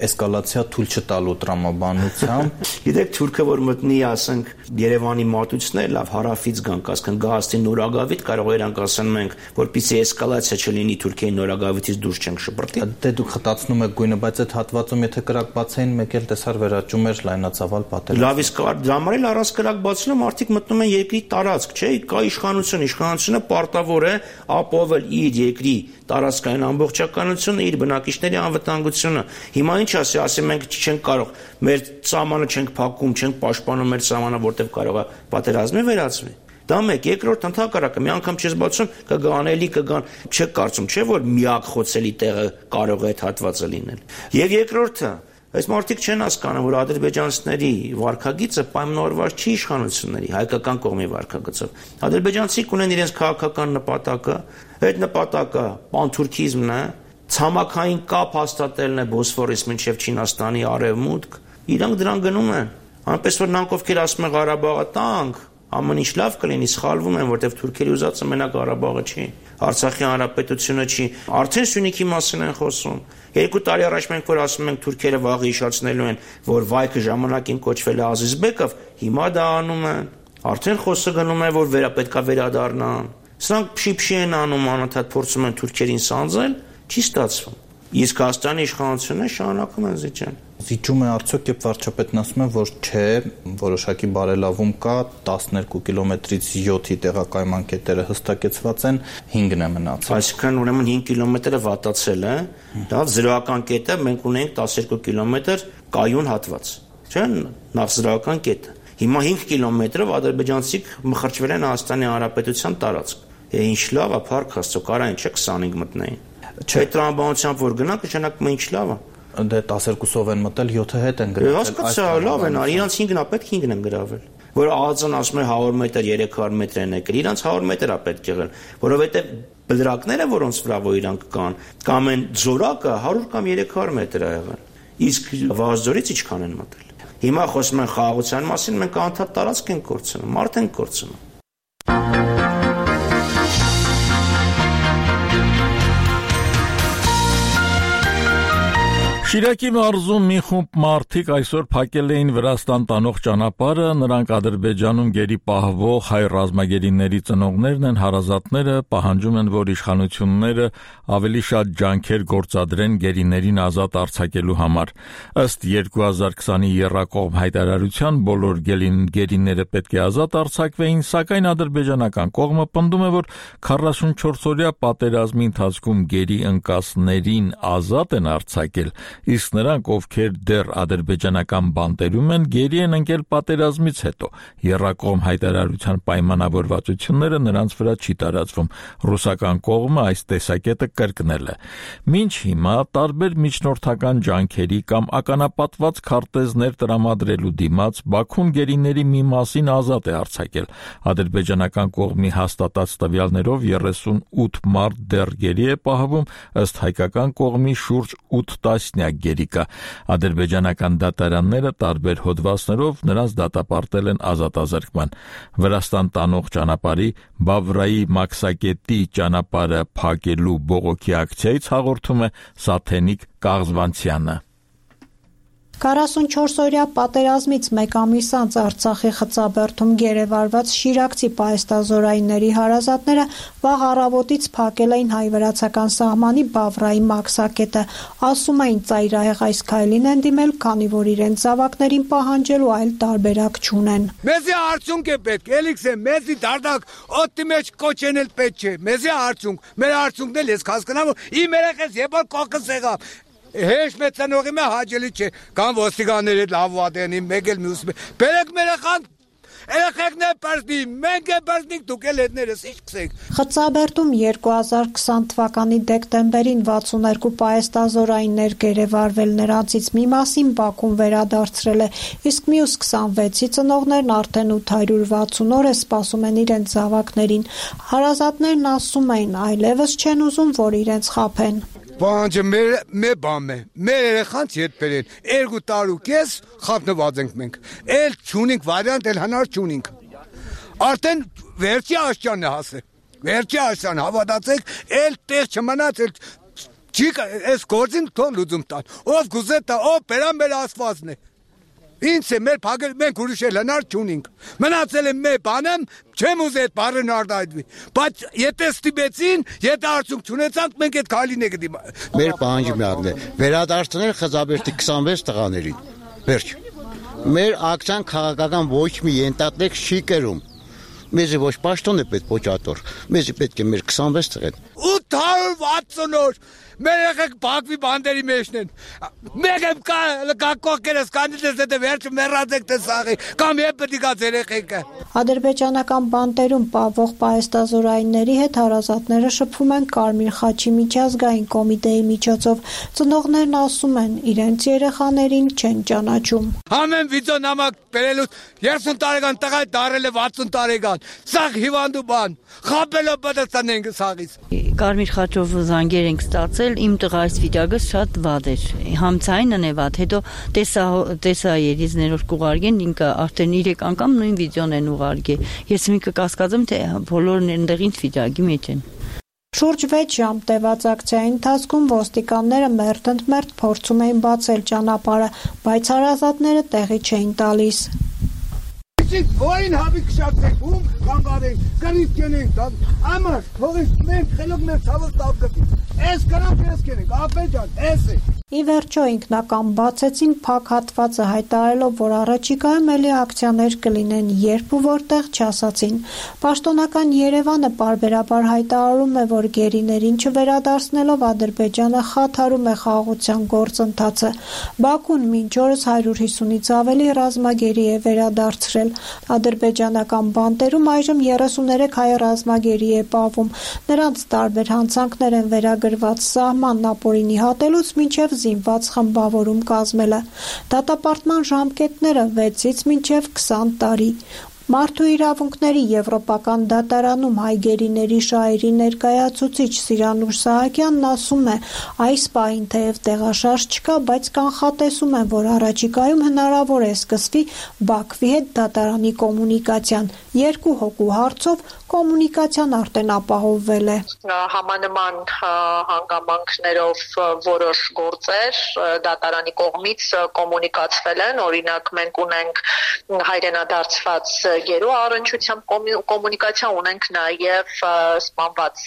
էսկալացիա թույլ չտալու տրամաբանությամբ։ Գիտեք, թուրքը որ մտնի, ասենք, Երևանի մատուցներ, լավ հարավից գան, ասեն գահստի նորագավիթ, կարող է իրանք ասեն մենք, որպեսզի էսկալացիա չլինի Թուրքիայի նորագավիթից դուրս չենք շպրտի։ Դե դուք խտացնում եք գույնը, բայց այդ հատվածում եթե կրակ բացեին, մեկ էլ տեսար վերաճում էր լայնածավալ պատերազմ։ Լավ, իսկ դրա համար էլ առանց կրակ բացելու մարդիկ մտնում են երկրի տարածք, չէ՞, կա իշխանությունը պարտավոր է ապահովել իր երկրի տարածքային ամբողջականությունը, իր բնակիչների անվտանգությունը։ Հիմա ինչ ասի մենք չենք կարող, մեր սահմանը չենք փակում, չենք պաշտպանում մեր սահմանը, որտեղ կարող է պատերազմի վերածվի։ Դա մեկ, երկրորդ ընդհակառակը, մի անգամ չես բացում, կգան էլի, կգան, չեք կարծում, չէ՞ որ միակ խոցելի տեղը կարող է այդ հատվածը լինել։ Եվ երկրորդը, այս մարդիկ չեն հասկանում, որ ադրբեջանցիների վարքագիծը պայմանավորված չի իշխանությունների, հայկական կողմի վարքագծով։ Ադրբեջանցիք ունեն իրենց քաղաքական նպատակը, այդ նպատակը պանթուրքիզմն է, ցամաքային կապ հաստատելն է Բոսֆորից մինչև Չինաստանի արևմուտք, իրանք դրան գնում են։ Այնպես որ նրանք ովքեր ասում են Ղարաբաղը տանք, ամեն ինչ լավ կլինի, սխալվում են, որտեղ թուրքերի ուզածը մենակ Ղարաբաղը չի, Արցախի հանրապետությունը չի, արդեն Սյունիքի մասին են խոսում։ 2 տարի առաջ մենք որ ասում ենք թուրքերը վաղը հիշացնելու են, որ վայքը ժամանակին կոչվել է Ազիզբեկով, հիմա դա անում են։ Արդեն խոսքը գնում է, որ պետքա վերադառնան։ Սրանք փշի են անում, անընդհատ փորձում են թուրքերին սանձել, չի ստացվում։ Իսկ Հայաստանի իշխանությունը շարունակում են զիջել։ Զիջում է արդյոք, երբ վարչապետն ասում է, որ չէ, որոշակի բարելավում կա, 12 կիլոմետրից 7-ի տեղակայման կետերը հստակեցված են, 5-ն է մնացել։ Այսինքն ուրեմն 5 կիլոմետրը վատացել է, լավ, զրոական կետը մենք ունենք 12 կիլոմետր կայուն հատված, չէ՞, նախ զրոական կետը։ Հիմա 5 կիլոմետրով ադրբեջանցիք մխրճվել են Հայաստանի Հանրապետության տարածք։ Ինչ լավ է, փառք Աստծո, կարային չէ 25 մտնեին։ Չէ, տրամաբանությամբ որ գնանք, նշանակում է ինչ լավ է։ Դե 12-ով են մտել, 7-ը հետ են գրավել։ Հասկացա, լավ են, իրանց 5-ն է պետք, 5-ն են գրավել։ Որ ԱԱԾ-ն ասում է 100 մետր, 300 մետր են եկել, իրանց 100 մետր է պետք եղել, որովհետև բլրակները, որոնց վրա որ իրանք կան, կամ են ձորակը 100 կամ 300 մետր է եղել։ Իսկ Վազդորից ինչքան են մտել։ Հիմա խոսում են խաղաղության մասին, մենք անդադար տարածք ենք կորցնում, մարդ ենք կորցնում։ Շիրակի մարզում մի խումբ մարդիկ այսօր փակել էին Վրաստան տանող ճանապարհը, նրանք Ադրբեջանում գերի պահվող հայ ռազմագերիների ծնողներն են, հարազատները պահանջում են, որ իշխանությունները ավելի շատ ջանքեր գործադրեն գերիներին ազատ արձակելու համար։ Ըստ 2020-ի եռակողմ հայտարարության բոլոր գերիները պետք է ազատ արձակվեին, սակայն ադրբեջանական կողմը պնդում է, որ 44-օրյա պատերազմի ընթացքում գերի ընկածներին ազատ են արձակել, իսկ նրանք, ովքեր դեռ ադրբեջանական բանտերում են, գերի են ընկել պատերազմից հետո։ Եռակողմ հայտարարության պայմանավորվածությունները նրանց վրա չի տարածվում։ Ռուսական կողմը այս տեսակետը կրկնել է։ Մինչ հիմա տարբեր միջնորդական ջանքերի կամ ականապատված քարտեզներ տրամադրելու դիմաց Բաքուն գերիների մի մասին ազատ է արձակել։ Ադրբեջանական կողմի հաստատած տվյալներով 38 մարդ դեռ գերի է պահվում, ըստ հայկական կողմի շուրջ 8 տասնյակ գերի կա։ Ադրբեջանական դատարանները տարբեր հոդվածներով նրանց դատապարտել են ազատազրկման։ Վրաստան տանող ճանապարհի Բավրայի Մաքսակետի ճանապարհը փակելու բողոքի ակցիայից հաղորդում է Սաթենիկ Կաղզվանցյանը։ 44-օրյա պատերազմից մեկ ամիս անց Արցախի Խծաբերդում գերեվարված շիրակցի պահեստազորայինների հարազատները վաղ առավոտից փակել էին հայ-վրացական սահմանի Բավրայի Մաքսակետը, ասում էին ծայրահեղ այս քայլին են դիմել, քանի որ իրենց զավակներին պահանջելու այլ տարբերակ չունեն։ Մեզի արդյունք է պետք, էլիքս է, մեզի դարդակ օդի մեջ կոչեն էլ պետք չէ, մեզի արդյունք, մեր արդյունքն էլ ես հասկանամ, իմ երեխես եպար կողքս եղավ։ Հեշ մեծ ծնողի մե հաճելի չէ, կան ոստիկանները լավ վատենի, մեկ էլ մյուս բերեք մեր երեխեքն է պարզնի, մենք է պարզնիք, դուք էլ հետներս ինչ կսեք։ Խծաբերդում 2020 թվականի դեկտեմբերին 62 պահեստազորայիններ գերեվարվել, նրանցից մի մասին Բաքուն վերադարձրել է, իսկ մյուս 26-ի ծնողներն արդեն 860 օր է սպասում են իրենց զավակներին։ Հարազատներն ասում էին, այլևս չեն ուզում, որ իրենց խաբեն։ Բանջը մեր բան է, մեր երեխանց հետ բերեն, 2 տարի կես խապնված ենք մենք, էլ չունենք վարիանտ, էլ հնար չունենք, արդեն վերջի աշճանն է հասել, վերջի աշճան հավատացեք, էլ տեղ չմնաց, էլ չի այս գործին թող լուծում տան, ով գուզե տա, ով բերան մեր ասվածն է, ինձ է մեր փագել, մենք ուրիշ էլ հնար չունենք, մնացել է մեր բանեմ, չեմ ուզի այդ բառն արտահայտվի, բայց եթե ստիպեցին, եթե արդյունք չունեցանք, մենք այդ քայլին ենք դիմա։ Մեր պահանջումն է վերադարձնել Խծաբերդի 26 տղաներին։ Վերջ։ Մեր ակցիան քաղաքական ոչ մի ենթատեք չի կերում։ Մեզի ոչ պաշտոն է պետք ոչատոր, մեզի պետք է մեր 26 տղեն։ 860 օր մեր երեխեք Բաքվի բանդերի մեջն են։ Մեկ եմ կոկերս կանից դե վերջ մեռած եք տեսաղի, կամ եփ պետք է երեխեքը։ Ադրբեջանական բանտերում պահվող պահեստազորայինների հետ հարազատները շփվում են Կարմիր խաչի միջազգային կոմիտեի միջոցով։ Ծնողներն ասում են, իրենց երեխաներին չեն ճանաչում։ Ամեն վիդեո նամակ բերելուց 30 տարեկան տղա դարել է 60 տարեկան։ Սա հիվանդու բան։ Խաբելով պատասխանենք սաղից։ Կարմիր խաչով զանգեր ենք ստացել, իմ տղա այս վիճակը շատ վատ էր։ Համցայինն է վատ, հետո տեսա երիզներով կուղարկեն, ինքը արդեն 3 անգամ նույն վիդեոն են ուղարկել։ Ես մի կկասկածեմ, թե բոլորն այնտեղ ինչ վիճակի մեջ են։ Շուրջ 6 ժամ տևած ակցիայի ընթացքում ոստիկանները մերթ փորձում էին բացել ճանապարհը, բայց հարազատները տեղի չէին տալիս։ Ոին հավի քշացեք, ում կանգարենք, կրիվ կենենք, ամար, թողենք մենք խելոք մեր ցավը տավ գտի, ես կրանք ես կենենք, ապեջան, ես է։ Ի վերջո ինքնական բացեցին փակ հատվածը հայտարարելով, որ առաջիկայում էլի ակցիաներ կլինեն, երբ ու որտեղ չասացին։ Պաշտոնական Երևանը պարբերաբար հայտարարում է, որ գերիներին չվերադարձնելով Ադրբեջանը խաթարում է խաղաղության գործընթացը։ Բաքուն մինչ օրս 150-ից ավելի ռազմագերի է վերադարձրել։ Ադրբեջանական բանտերում այժմ 33 հայ ռազմագերի է պահվում։ Նրանց տարբեր հանցանքներ են վերագրված սահմանն ապօրինի հատելուց մինչև զինված խմբավորում կազմելը։ Դատապարտման ժամկետները 6-ից մինչև 20 տարի։ Մարդու իրավունքների Եվրոպական դատարանում հայգերիների շահերի ներկայացուցիչ Սիրանուշ Սահակյանն ասում է, այս պահին թեև տեղաշարժ չկա, բայց կանխատեսում են, որ առաջիկայում հնարավոր է սկսվի Բաքվի հետ դատարանի կոմունիկացիան։ Երկու հոգու հարցով կոմունիկացիան արդեն ապահովվել է։ Համանման հանգամանքներով որոշ գործեր դատարանի կողմից կոմունիկացվել են, օրինակ մենք ունենք հայրենադարձված գերու առնչությամբ կոմունիկացիա ունենք նաև սպանված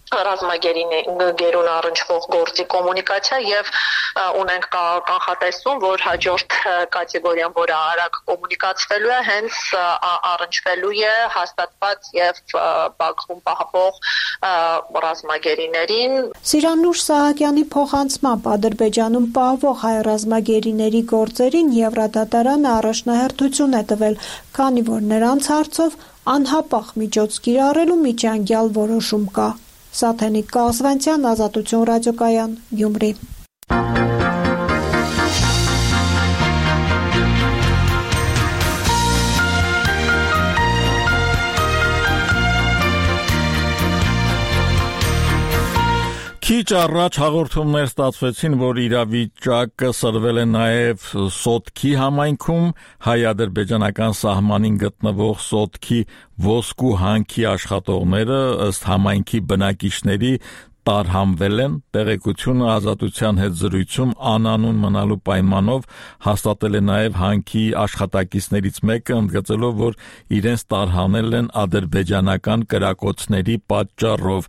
ռազմագերուն առնչվող գործի կոմունիկացիա եւ ունենք կանխատեսում, որ հաջորդ կատեգորիան, որը արագ կոմունիկացվելու է, հենց առնչվելու է հաստատված եւ Բաքվում պահպող ռազմագերիներին։ Սիրանուշ Սահակյանի փոխանցմամբ Ադրբեջանում պահվող հայ ռազմագերիների գործերին Եվրադատարանը առաջնահերթություն է տվել, քանի որ նրանց հարցով անհապաղ միջոց կիրառելու միջանկյալ որոշում կա։ Սաթենիկ Կասվանցյան, Ազատություն ռադիոկայան, Գյումրի։ Քիչ առաջ հաղորդումներ ստացվեցին, որ իրավիճակը սրվել է նաև Սոտքի համայնքում, հայ-ադրբեջանական սահմանին գտնվող Սոտքի ոսկու հանքի աշխատողները ըստ համայնքի բնակիչների տարհանվել են, տեղեկությունը Ազատության հետ զրույցում անանուն մնալու պայմանով հաստատել է նաև հանքի աշխատակիցներից մեկը, ընդգծելով, որ իրենց տարհանել են ադրբեջանական կրակոցների պատճառով։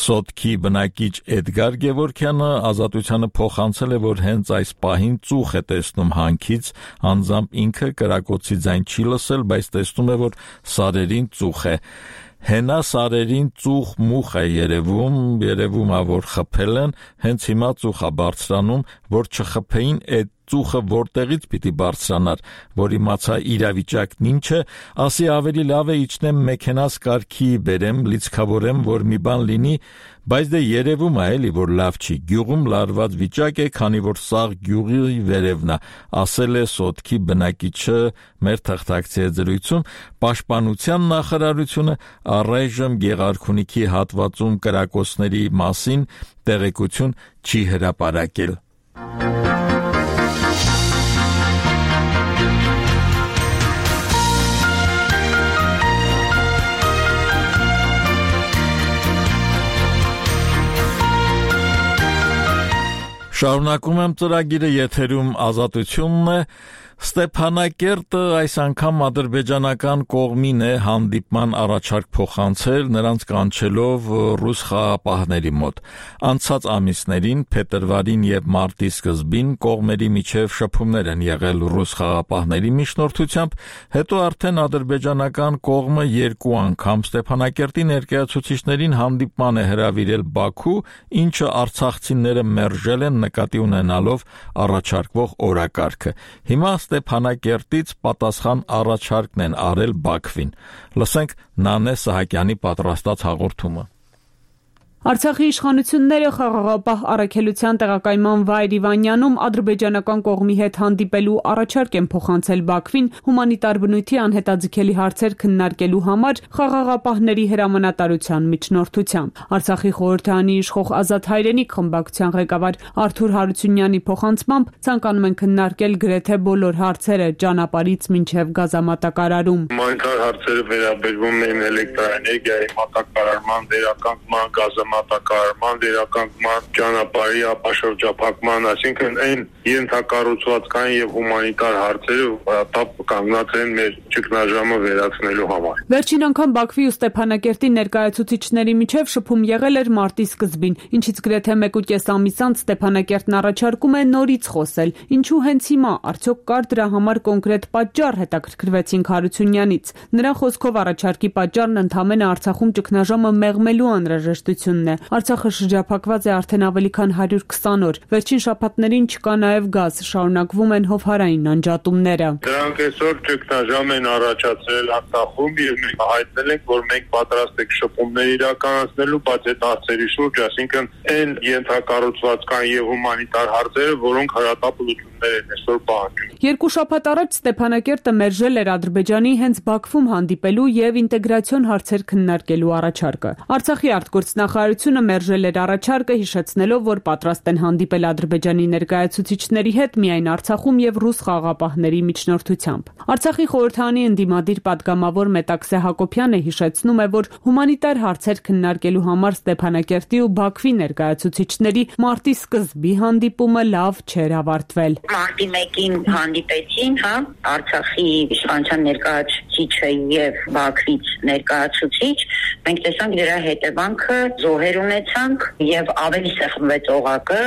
Սոտքի բնակիչ Էդգար Գևորգյանը Ազատությանը փոխանցել է, որ հենց այս պահին ծուխ է տեսնում հանքից, անձամբ ինքը կրակոցի ձայն չի լսել, բայց տեսնում է, որ սարերին ծուխ է։ Հենա սարերին ծուխ մուխ է երևում է, որ խփել են, հենց հիմա ծուխ է բարձրանում, որ չխփեին այդ ծուխը որտեղից պիտի բարձրանար, որ իմացա իրավիճակն ինչ է, ասի ավելի լավ է իջնեմ մեքենաս կարգի բերեմ, լիցքավորեմ, որ մի բան լինի, բայց դե երևում է էլի, որ լավ չի, գյուղում լարված վիճակ է, քանի որ սաղ գյուղի վերևն է, ասել է Սոտքի բնակիչը մեր թղթակցի հետ զրույցում։ Պաշտպանության նախարարությունը առայժմ Գեղարքունիքի հատվածում կրակոցների մասին տեղեկություն չի հրապարակել։ Շարունակում եմ ծրագիրը, եթերում Ազատությունն է։ Ստեփանակերտը այս անգամ ադրբեջանական կողմին է հանդիպման առաջարկ փոխանցել, նրանց կանչելով ռուս խաղապահների մոտ։ Անցած ամիսներին, փետրվարին եւ մարտի սկզբին կողմերի միջև շփումներ են եղել ռուս խաղապահների միջնորդությամբ, հետո արդեն ադրբեջանական կողմը երկու անգամ Ստեփանակերտի ներկայացուցիչներին հանդիպման է հրավիրել Բաքու, ինչը արցախցիները մերժել են նկատի ունենալով առաջարկվող օրակարգը։ Հիմա Ստեփանակերտից պատասխան առաջարկն են արել Բաքվին։ Լսենք Նանե Սահակյանի պատրաստած հաղորդումը։ Արցախի իշխանությունները խաղաղապահ առաքելության տեղակայման վայր Իվանյանում ադրբեջանական կողմի հետ հանդիպելու առաջարկ են փոխանցել Բաքվին հումանիտար բնույթի անհետաձգելի հարցեր քննարկելու համար խաղաղապահների հրամանատարության միջնորդությամբ։ Արցախի խորհրդարանի իշխող Ազատ հայրենիք խմբակցության ղեկավար Արթուր Հարությունյանի փոխանցմամբ ցանկանում են քննարկել գրեթե բոլոր հարցերը ճանապարհից մինչև գազամատակարարում։ Հումանիտար հարցերը վերաբերում են էլեկտրաէներգիայի մատակարարման, վերականգնման, գազամատակարարման, վերականգնման, ճանապարհի ապաշրջափակման, այսինքն այն ենթակառուցվածքային եւ հումանիտար հարցերը որտապ կանգնած են մեր ճգնաժամը վերացնելու համար։ Վերջին անգամ Բաքվի ու Ստեփանակերտի ներկայացուցիչների միջև շփում եղել էր մարտի սկզբին, ինչից գրեթե 1.5 ամիս անց Ստեփանակերտն առաջարկում է նորից խոսել։ Ինչու հենց հիմա, արդյոք կար դրա համար կոնկրետ պատճառ, հետաքրքրվեցինք Հարությունյանից։ Նրա խոսքով առաջարկի պատճառն ընդհանրապես Արցախում ճգնաժամը մեղմելու անհրաժեշտությունն է։ Արցախը շրջափակված է արդեն ավելի քան 120 օր։ Վերջին շաբաթներին չկա նաև գազ, շարունակվում են հովհարային անջատումները։ Դրանք այսօր ճգնաժամ են առաջացրել Արցախում եւ մենք հայտնել ենք, որ մենք պատրաստ ենք շփումներ իրականացնելու, բայց այդ հարցերի շուրջ, այսինքն այն ենթակառուցվածքային եւ հումանիտար հարցերը, որոնք հրատապ լուծում քննարկումներ են այսօր պահանջում։ Երկու շաբաթ առաջ Ստեփանակերտը մերժել էր Ադրբեջանի հենց Բաքվում հանդիպելու եւ ինտեգրացիոն հարցեր քննարկելու առաջարկը։ Արցախի արտգործնախարարությունը մերժել էր առաջարկը, հիշեցնելով, որ պատրաստ են հանդիպել Ադրբեջանի ներկայացուցիչների հետ միայն Արցախում եւ ռուս խաղաղապահների միջնորդությամբ։ Արցախի խորհրդարանի ընդդիմադիր պատգամավոր Մետաքսե Հակոբյանը հիշեցնում է, որ հումանիտար հարցեր քննարկելու համար Ստեփանակերտի ու Բաքվի ներկայացուցիչների մարտի սկզբի հանդիպումը լավ չէր ավարտվել։ Մարտի 1-ին հանդիպեցին, Արցախի իշխանության ներկայացուցիչը եւ Բաքվից ներկայացուցիչ, մենք տեսանք դրա հետևանքը, զոհեր ունեցանք եւ ավելի սեղմվեց օղակը,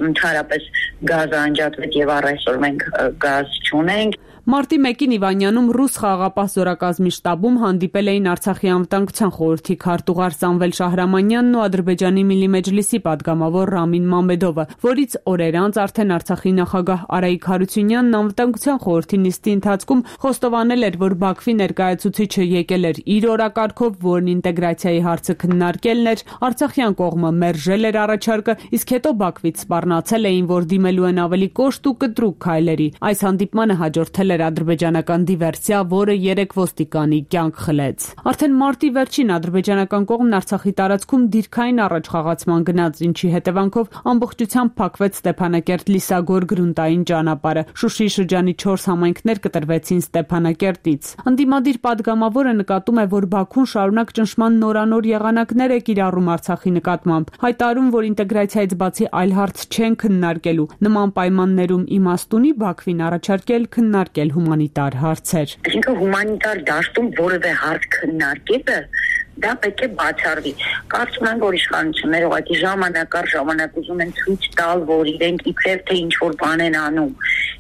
ընդհանրապես գազը անջատվեց եւ առ այսօր մենք գազ չունենք։ Մարտի 1-ին Իվանյանում ռուս խաղաղապահ զորակազմի շտաբում հանդիպել էին Արցախի անվտանգության խորհրդի քարտուղար Սամվել Շահրամանյանն ու Ադրբեջանի Միլի Մեջլիսի պատգամավոր Ռամին Մամեդովը, որից օրեր անց արդեն Արցախի նախագահ Արայիկ Հարությունյանն անվտանգության խորհրդի նիստի ընթացքում խոստովանել էր, որ Բաքվի ներկայացուցիչը եկել էր իր օրակարգով, որն ինտեգրացիայի հարցը քննարկելն էր, արցախյան կողմը մերժել էր առաջարկը, իսկ հետո Բաքվից սպառնացել էին, որ դիմելու են ավելի կոշտ ու կտրուկ քայլերի։ Այս հանդիպմանը հաջորդել ադրբեջանական դիվերսիա, որը 3 ոստիկանի կյանք խլեց։ Արդեն մարտի վերջին ադրբեջանական կողմն Արցախի տարածքում դիրքային առաջխաղացման գնաց, ինչի հետևանքով ամբողջությամբ փակվեց Ստեփանակերտ-Լիսագոր գրունտային ճանապարհը։ Շուշիի շրջանի 4 համայնքներ կտրվեցին Ստեփանակերտից։ Ընդդիմադիր պատգամավորը նկատում է, որ Բաքուն շարունակ ճնշման նորանոր եղանակներ է կիրառում Արցախի նկատմամբ, հայտարարում, որ ինտեգրացիայից բացի այլ հարց չեն քննարկելու։ Նման պայմաններում իմաստ ունի Բաքվին առաջարկել քննարկել հումանիտար հարցեր։ Այսինքն հումանիտար դաշտում որևէ հարց քննարկելը դա պետք է բացառվի։ Կարծում եմ, որ իշխանությունները ուղղակի ժամանակ առ ժամանակ ուզում են ցույց տալ, որ իրենք իբրև թե ինչ-որ բան են անում,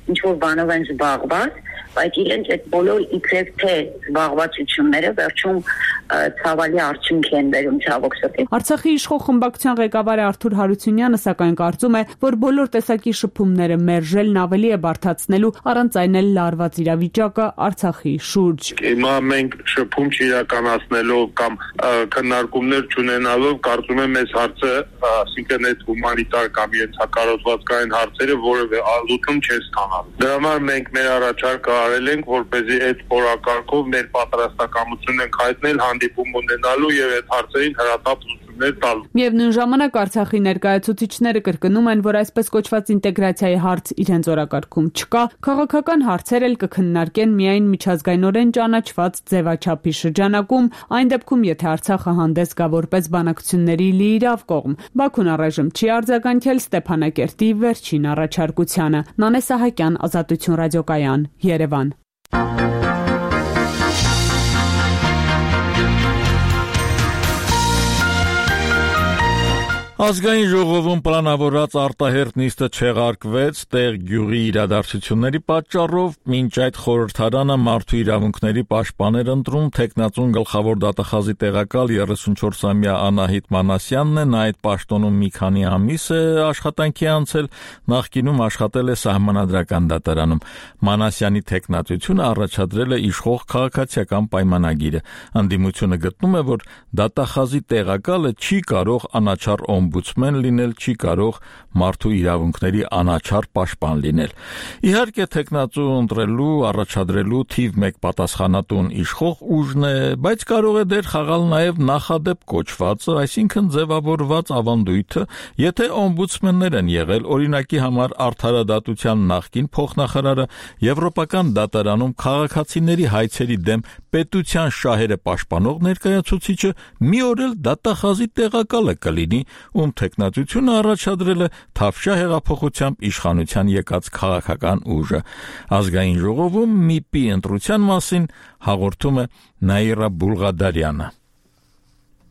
ինչ-որ բանով են զբաղված, բայց իրենց այդ բոլոր իբրև թե զբաղվածությունները վերջում ցավալի արդյունք են բերում ցավոք սրտի։ Արցախի իշխող խմբակցության ղեկավար Արթուր Հարությունյանը սակայն կարծում է, որ բոլոր տեսակի շփումները մերժելն ավելի է բարդացնելու առանց այն էլ լարված իրավիճակը Արցախի շուրջ։ Հիմա մենք շփում չիրականացնելով կամ քննարկումներ չունենալով կարծում եմ այս հարցը, ասինքն այդ հումանիտար կամ ենթակառուցվածքային հարցերը որևէ լուծում չեն ստանալու։ Դրա համար մենք մեր առաջարկը արել ենք, որպեսզի այդ օրակարգով մեր պատրաստակամություն ենք հայտնել հանդիպում ունենալու եւ այդ հարցերին հրատապ լուծումներ տալու։ Միևնույն ժամանակ Արցախի ներկայացուցիչները կրկնում են, որ այսպես կոչված ինտեգրացիայի հարց իրենց օրակարգում չկա, քաղաքական հարցեր էլ կքննարկեն միայն միջազգայինորեն ճանաչված ձևաչափի շրջանակում, այն դեպքում, եթե Արցախը հանդես գա որպես բանակցությունների լիիրավ կողմ։ Բաքուն առայժմ չի արձագանքել Ստեփանակերտի վերջին առաջարկությանը։ Նանե Սահակյան, Ազատություն ռադիոկայան, Երևան։ Ազգային ժողովում պլանավորած արտահերթ նիստը չեղարկվեց տեղ գյուղի իրադարձությունների պատճառով, մինչ այդ խորհրդարանը մարդու իրավունքների պաշտպաներ ընտրում թեկնածուն գլխավոր դատախազի տեղակալ 34-ամյա Անահիտ Մանասյանն է, նա այդ պաշտոնում մի քանի ամիս է աշխատանքի անցել, նախկինում աշխատել է Սահմանադրական դատարանում։ Մանասյանի թեկնածությունը առաջադրել է իշխող քաղաքացիական պայմանագիրը։ Ընդդիմությունը գտնում է, որ դատախազի տեղակալը չի կարող անաչառ օմբուդսմեն լինել, չի կարող մարդու իրավունքների անաչառ պաշտպան լինել։ Իհարկե թեկնածու ընտրելու, առաջադրելու թիվ 1 պատասխանատուն իշխող ուժն է, բայց կարող է դեր խաղալ նաև նախադեպ կոչվածը, այսինքն ձևավորված ավանդույթը, եթե օմբուդսմեններ են եղել, օրինակի համար Արդարադատության նախկին փոխնախարարը, Եվրոպական դատարանում քաղաքացիների հայցերի դեմ պետության շահերը պաշտպանող ներկայացուցիչը մի օր էլ դատախազի տեղակալը կլինի, ում թեկնածությունը առաջադրել է Թավշյա հեղափոխությամբ իշխանության եկած քաղաքական ուժը։ Ազգային ժողովում ՄԻՊ-ի ընտրության մասին հաղորդում է Նաիրա Բուլղադարյանը։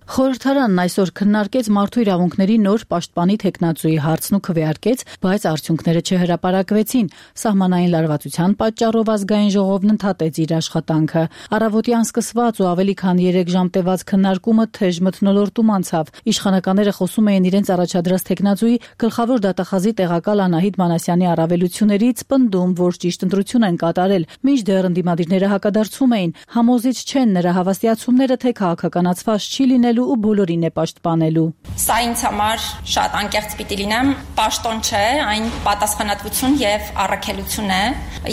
Խորհրդարանն այսօր քննարկեց մարդու իրավունքների նոր պաշտպանի թեկնածուի հարցն ու քվեարկեց, բայց արդյունքները չհրապարակվեցին։ Սահմանային լարվածության պատճառով ազգային ժողովն ընդհատեց իր աշխատանքը։ Առավոտյան սկսված ու ավելի քան 3 ժամ տևած քննարկումը թեժ մթնոլորտում անցավ։ Իշխանականները խոսում էին իրենց առաջադրած թեկնածուի գլխավոր դատախազի տեղակալ Անահիտ Մանասյանի առավելություններից, պնդում, որ ճիշտ ընտրություն են կատարել, մինչդեռ ընդդիմադիրները հակադարձում էին։ Համոզիչ չեն նրա հավաստիացումները, թե քաղաքականացված չի լինելու ստեղծելու ու բոլորին է պաշտպանելու։ Սա ինձ համար շատ անկեղծ պիտի լինեմ, պաշտոն չէ, այն պատասխանատվություն եւ առաքելություն է,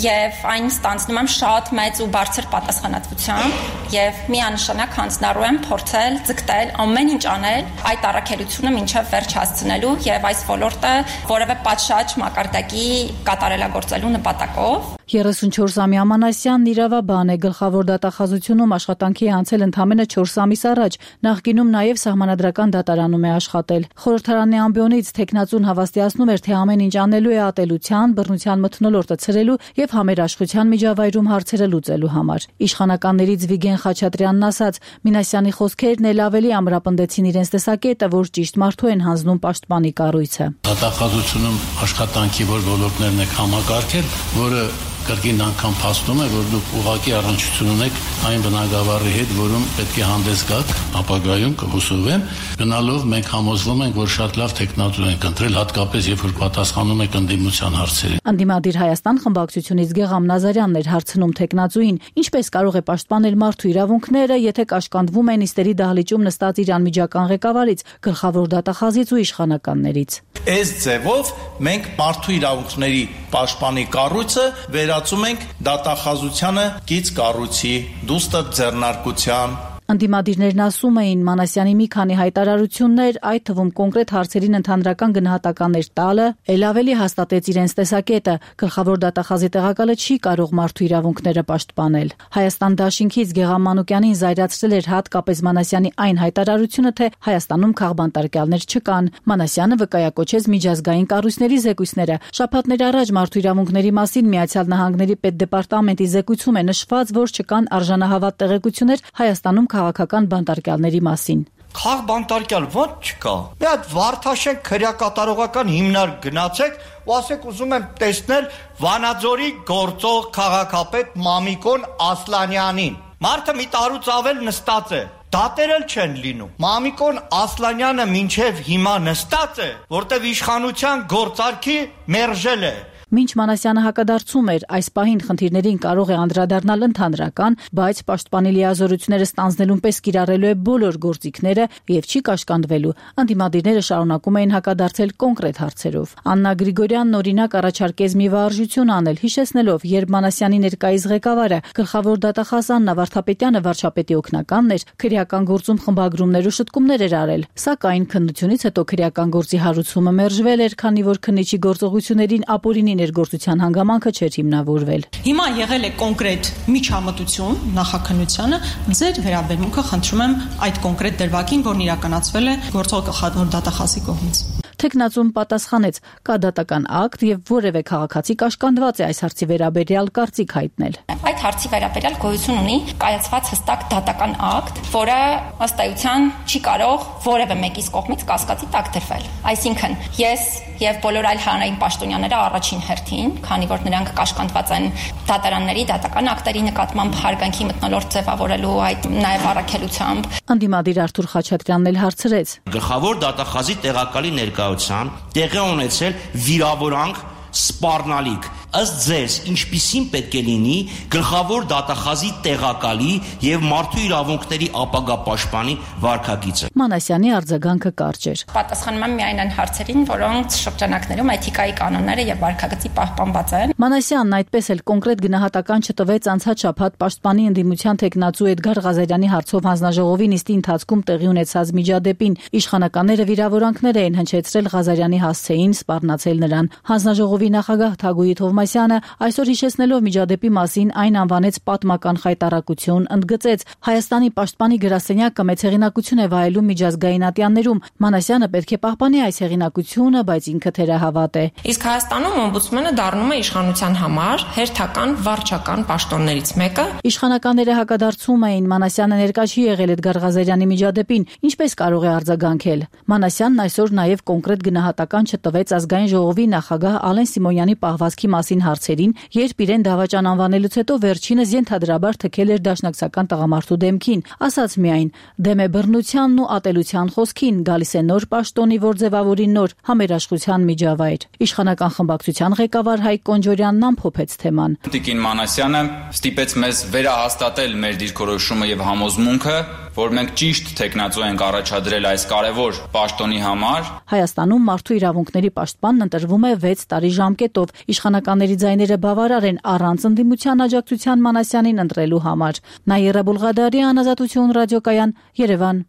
եւ այն ստանձնում եմ շատ մեծ ու բարձր պատասխանատվությամբ եւ միանշանակ հանձնառու եմ փորձել ձգտել ամեն ինչ անել այդ առաքելությունը մինչեւ վերջ հասցնելու եւ այս ոլորտը որևէ պատշաճ մակարդակի կատարելագործելու նպատակով։ 34-ամյա Մանասյանն իրավաբան է, գլխավոր դատախազությունում աշխատանքի անցել ընդամենը 4 ամիս առաջ, նախկինում նաև սահմանադրական դատարանում է աշխատել։ Խորհրդարանի ամբիոնից թեկնածուն հավաստիացնում էր, թե ամեն ինչ անելու է ատելության, բռնության մթնոլորտը ցրելու եւ համերաշխության միջավայրում հարցերը լուծելու համար։ Իշխանականներից Վիգեն Խաչատրյանն ասաց, Մինասյանի խոսքերն էլ ավելի ամրապնդեցին իրենց տեսակետը, որ ճիշտ մարդու են հանձնում պաշտպանի կառույցը։ Դատախազությունում աշխատանքի որ ոլորտներն եք համակարգել, որը կրկին անգամ փաստում է, որ դուք ուղղակի առնչություն ունեք այն բնագավառի հետ, որում պետք է հանդես գաք, ապագայում կհուսովեմ, գնալով մենք համոզվում ենք, որ շատ լավ տեխնատուր ենք ընտրել, հատկապես երբ որ պատասխանում եք ընդդիմության հարցերին։ Անդիմադիր Հայաստան խմբակցությունից Գեգամ Նազարյանն էր հարցնում տեխնատուին, ինչպես կարող է պաշտպանել մարդու իրավունքները, եթե կաշկանդվում են նիստերի դահլիճում նստած իր անմիջական ղեկավարից, գլխավոր դատախազից ու իշխանականներից։ Այս ձևով մենք մարդու իրավունքների պաշտպանի կառույցը վերածում ենք դատախազությանը կից կառույցի, դուստր ձեռնարկության։ Անդիմադիրներն ասում էին, Մանասյանի մի քանի հայտարարություններ, այդ թվում կոնկրետ հարցերին ընդհանրական գնահատականներ տալը, ել ավելի հաստատեց իրենց տեսակետը, գլխավոր դատախազի տեղակալը չի կարող մարդու իրավունքները պաշտպանել։ Հայաստան դաշինքից Գեգամ Մանուկյանին զայրացրել էր հատկապես Մանասյանի այն հայտարարությունը, թե Հայաստանում քաղբանտարկյալներ չկան։ Մանասյանը վկայակոչեց միջազգային կառույցների զեկույցները։ Շաբաթներ առաջ մարդու իրավունքների մասին Միացյալ Նահանգների պետդեպարտամենտի զեկույցում է նշված, որ չկան արժանահավատ տեղեկություններ Հայաստանում քաղաքական բանտարկյալների մասին։ Քաղբանտարկյալ ո՞նց չկա։ Մի հատ Վարդաշեն քրեակատարողական հիմնարկ գնացեք, ու ասեք ուզում եմ տեսնել Վանաձորի գործող քաղաքապետ Մամիկոն Ասլանյանին։ Մարդը մի տարուց ավել նստած է։ Դատեր էլ չեն լինում։ Մամիկոն Ասլանյանը մինչև հիմա նստած է, որտեվ իշխանության գործարքի մերժել է։ Մինչ Մանասյանը հակադարձում էր, այս պահին խնդիրներին կարող է անդրադառնալ ընդհանրական, բայց պաշտպանի լիազորությունները ստանձնելուն պես կիրառելու է բոլոր գործիքները եւ չի կաշկանդվելու։ Անդիմադիրները շարունակում էին հակադարձել կոնկրետ հարցերով։ Աննա Գրիգորյանն օրինակ առաջարկեց մի վարժություն անել, հիշեցնելով, երբ Մանասյանի ներկայիս ղեկավարը գլխավոր դատախազ Աննա Վարդապետյանը վարչապետի օգնականն էր, քրեական գործում խմբագրումներ ու շտկումներ էր արել։ Սակայն քննությունից հետո քրեական գործի հարուցումը մերժվել էր, քանի որ քննիչի գործողություններին ապօրինի ներգործության հանգամանքը չէր հիմնավորվել։ Հիմա եղել է կոնկրետ միջամտություն նախաքննությանը, ձեր վերաբերմունքը խնդրում եմ այդ կոնկրետ դրվագին, որն իրականացվել է գործող գլխավոր դատախազի կողմից։ Թեկնածուն պատասխանեց, կա դատական ակտ եւ որևէ քաղաքացի կաշկանդված է այս հարցի վերաբերյալ կարծիք հայտնել։ Այդ հարցի վերաբերյալ գոյություն ունի կայացված հստակ դատական ակտ, որը ըստ էության չի կարող որևէ մեկის կողմից կասկածի տակ դրվել։ Այսինքն, ես եւ բոլոր այլ հանրային պաշտոնյաները առաջին հերթին, քանի որ նրանք կաշկանդված են դատարանների դատական ակտերի նկատմամբ հարգանքի մթնոլորտ ձևավորելու այդ նաեւ առաքելությամբ։ Անդիմադիր Արթուր Խաչատրյանն էլ հարցրեց. Գլխավոր դատախազի տեղակալի ներկայությամբ տեղի ունեցել վիրավորանք սպառնալիք։ Ըստ ձեզ, ինչպիսին պետք է լինի գլխավոր դատախազի տեղակալի եւ մարդու իրավունքների ապագա պաշտպանի վարքագիծը։ Մանասյանի արձագանքը կարճ էր։ Պատասխանում եմ միայն այն հարցերին, որոնց շրջանակներում էթիկայի կանոնները եւ վարքագծի պահպանված են։ Մանասյանն այդպես էլ կոնկրետ գնահատական չտվեց անցած շաբաթ պաշտպանի ընդդիմության թեկնածու Էդգար Ղազարյանի հարցով հանձնաժողովի նիստի ընթացքում տեղի ունեցած միջադեպին։ Իշխանականները վիրավորանքներ էին հնչեցրել Ղազարյանի հասցեին, սպառնացել նրան։ Հանձնաժողովի նախագահ Թագուհի Թովմասյանը այսօր հիշեցնելով միջադեպի մասին այն անվանեց պատմական խայտառակություն, ընդգծեց Հայաստանի պաշտպանի գրասենյակը մեծ հեղինակություն է վայելում միջազգային ատյաններում։ Մանասյանը պետք է պահպանի այս հեղինակությունը, բայց ինքը թերահավատ է։ Իսկ Հայաստանում օմբուդսմենը դառնում է իշխանության համար հերթական վարչական պաշտոններից մեկը։ Իշխանականները հակադարձում էին, Մանասյանը ներկա չի եղել Էդգար Ղազարյանի միջադեպին, ինչպես կարող է արձագանքել։ Մանասյանն այսօր նաև կոնկրետ գնահատական չտվեց ազգային ժողովի նախագահ Ալեն Սիմոնյանի պահվածքի մասին մասին հարցերին, երբ իրեն դավաճան անվանելուց հետո վերջինս ենթադրաբար թքել էր դաշնակցական տղամարդու դեմքին, ասաց միայն՝ դեմ է բռնությանն ու ատելության խոսքին, գալիս է նոր պաշտոնի, որ ձևավորի նոր համերաշխության միջավայր։ Իշխանական խմբակցության ղեկավար Հայկ Կոնջորյանն ամփոփեց թեման։ Տիկին Մանասյանը ստիպեց մեզ վերահաստատել մեր դիրքորոշումը եւ համոզմունքը, որ մենք ճիշտ թեկնածու ենք առաջադրել այս կարևոր պաշտոնի համար։ Հայաստանում մարդու իրավունքների պաշտպանն ընտրվում է 6 տարի ժամկետով։ Իշխանականների ձայները բավարար են առանց ընդդիմության աջակցության Մանասյանին ընտրելու համար։ Նաիրա Բուլղադարյան, Ազատություն ռադիոկայան, Երևան։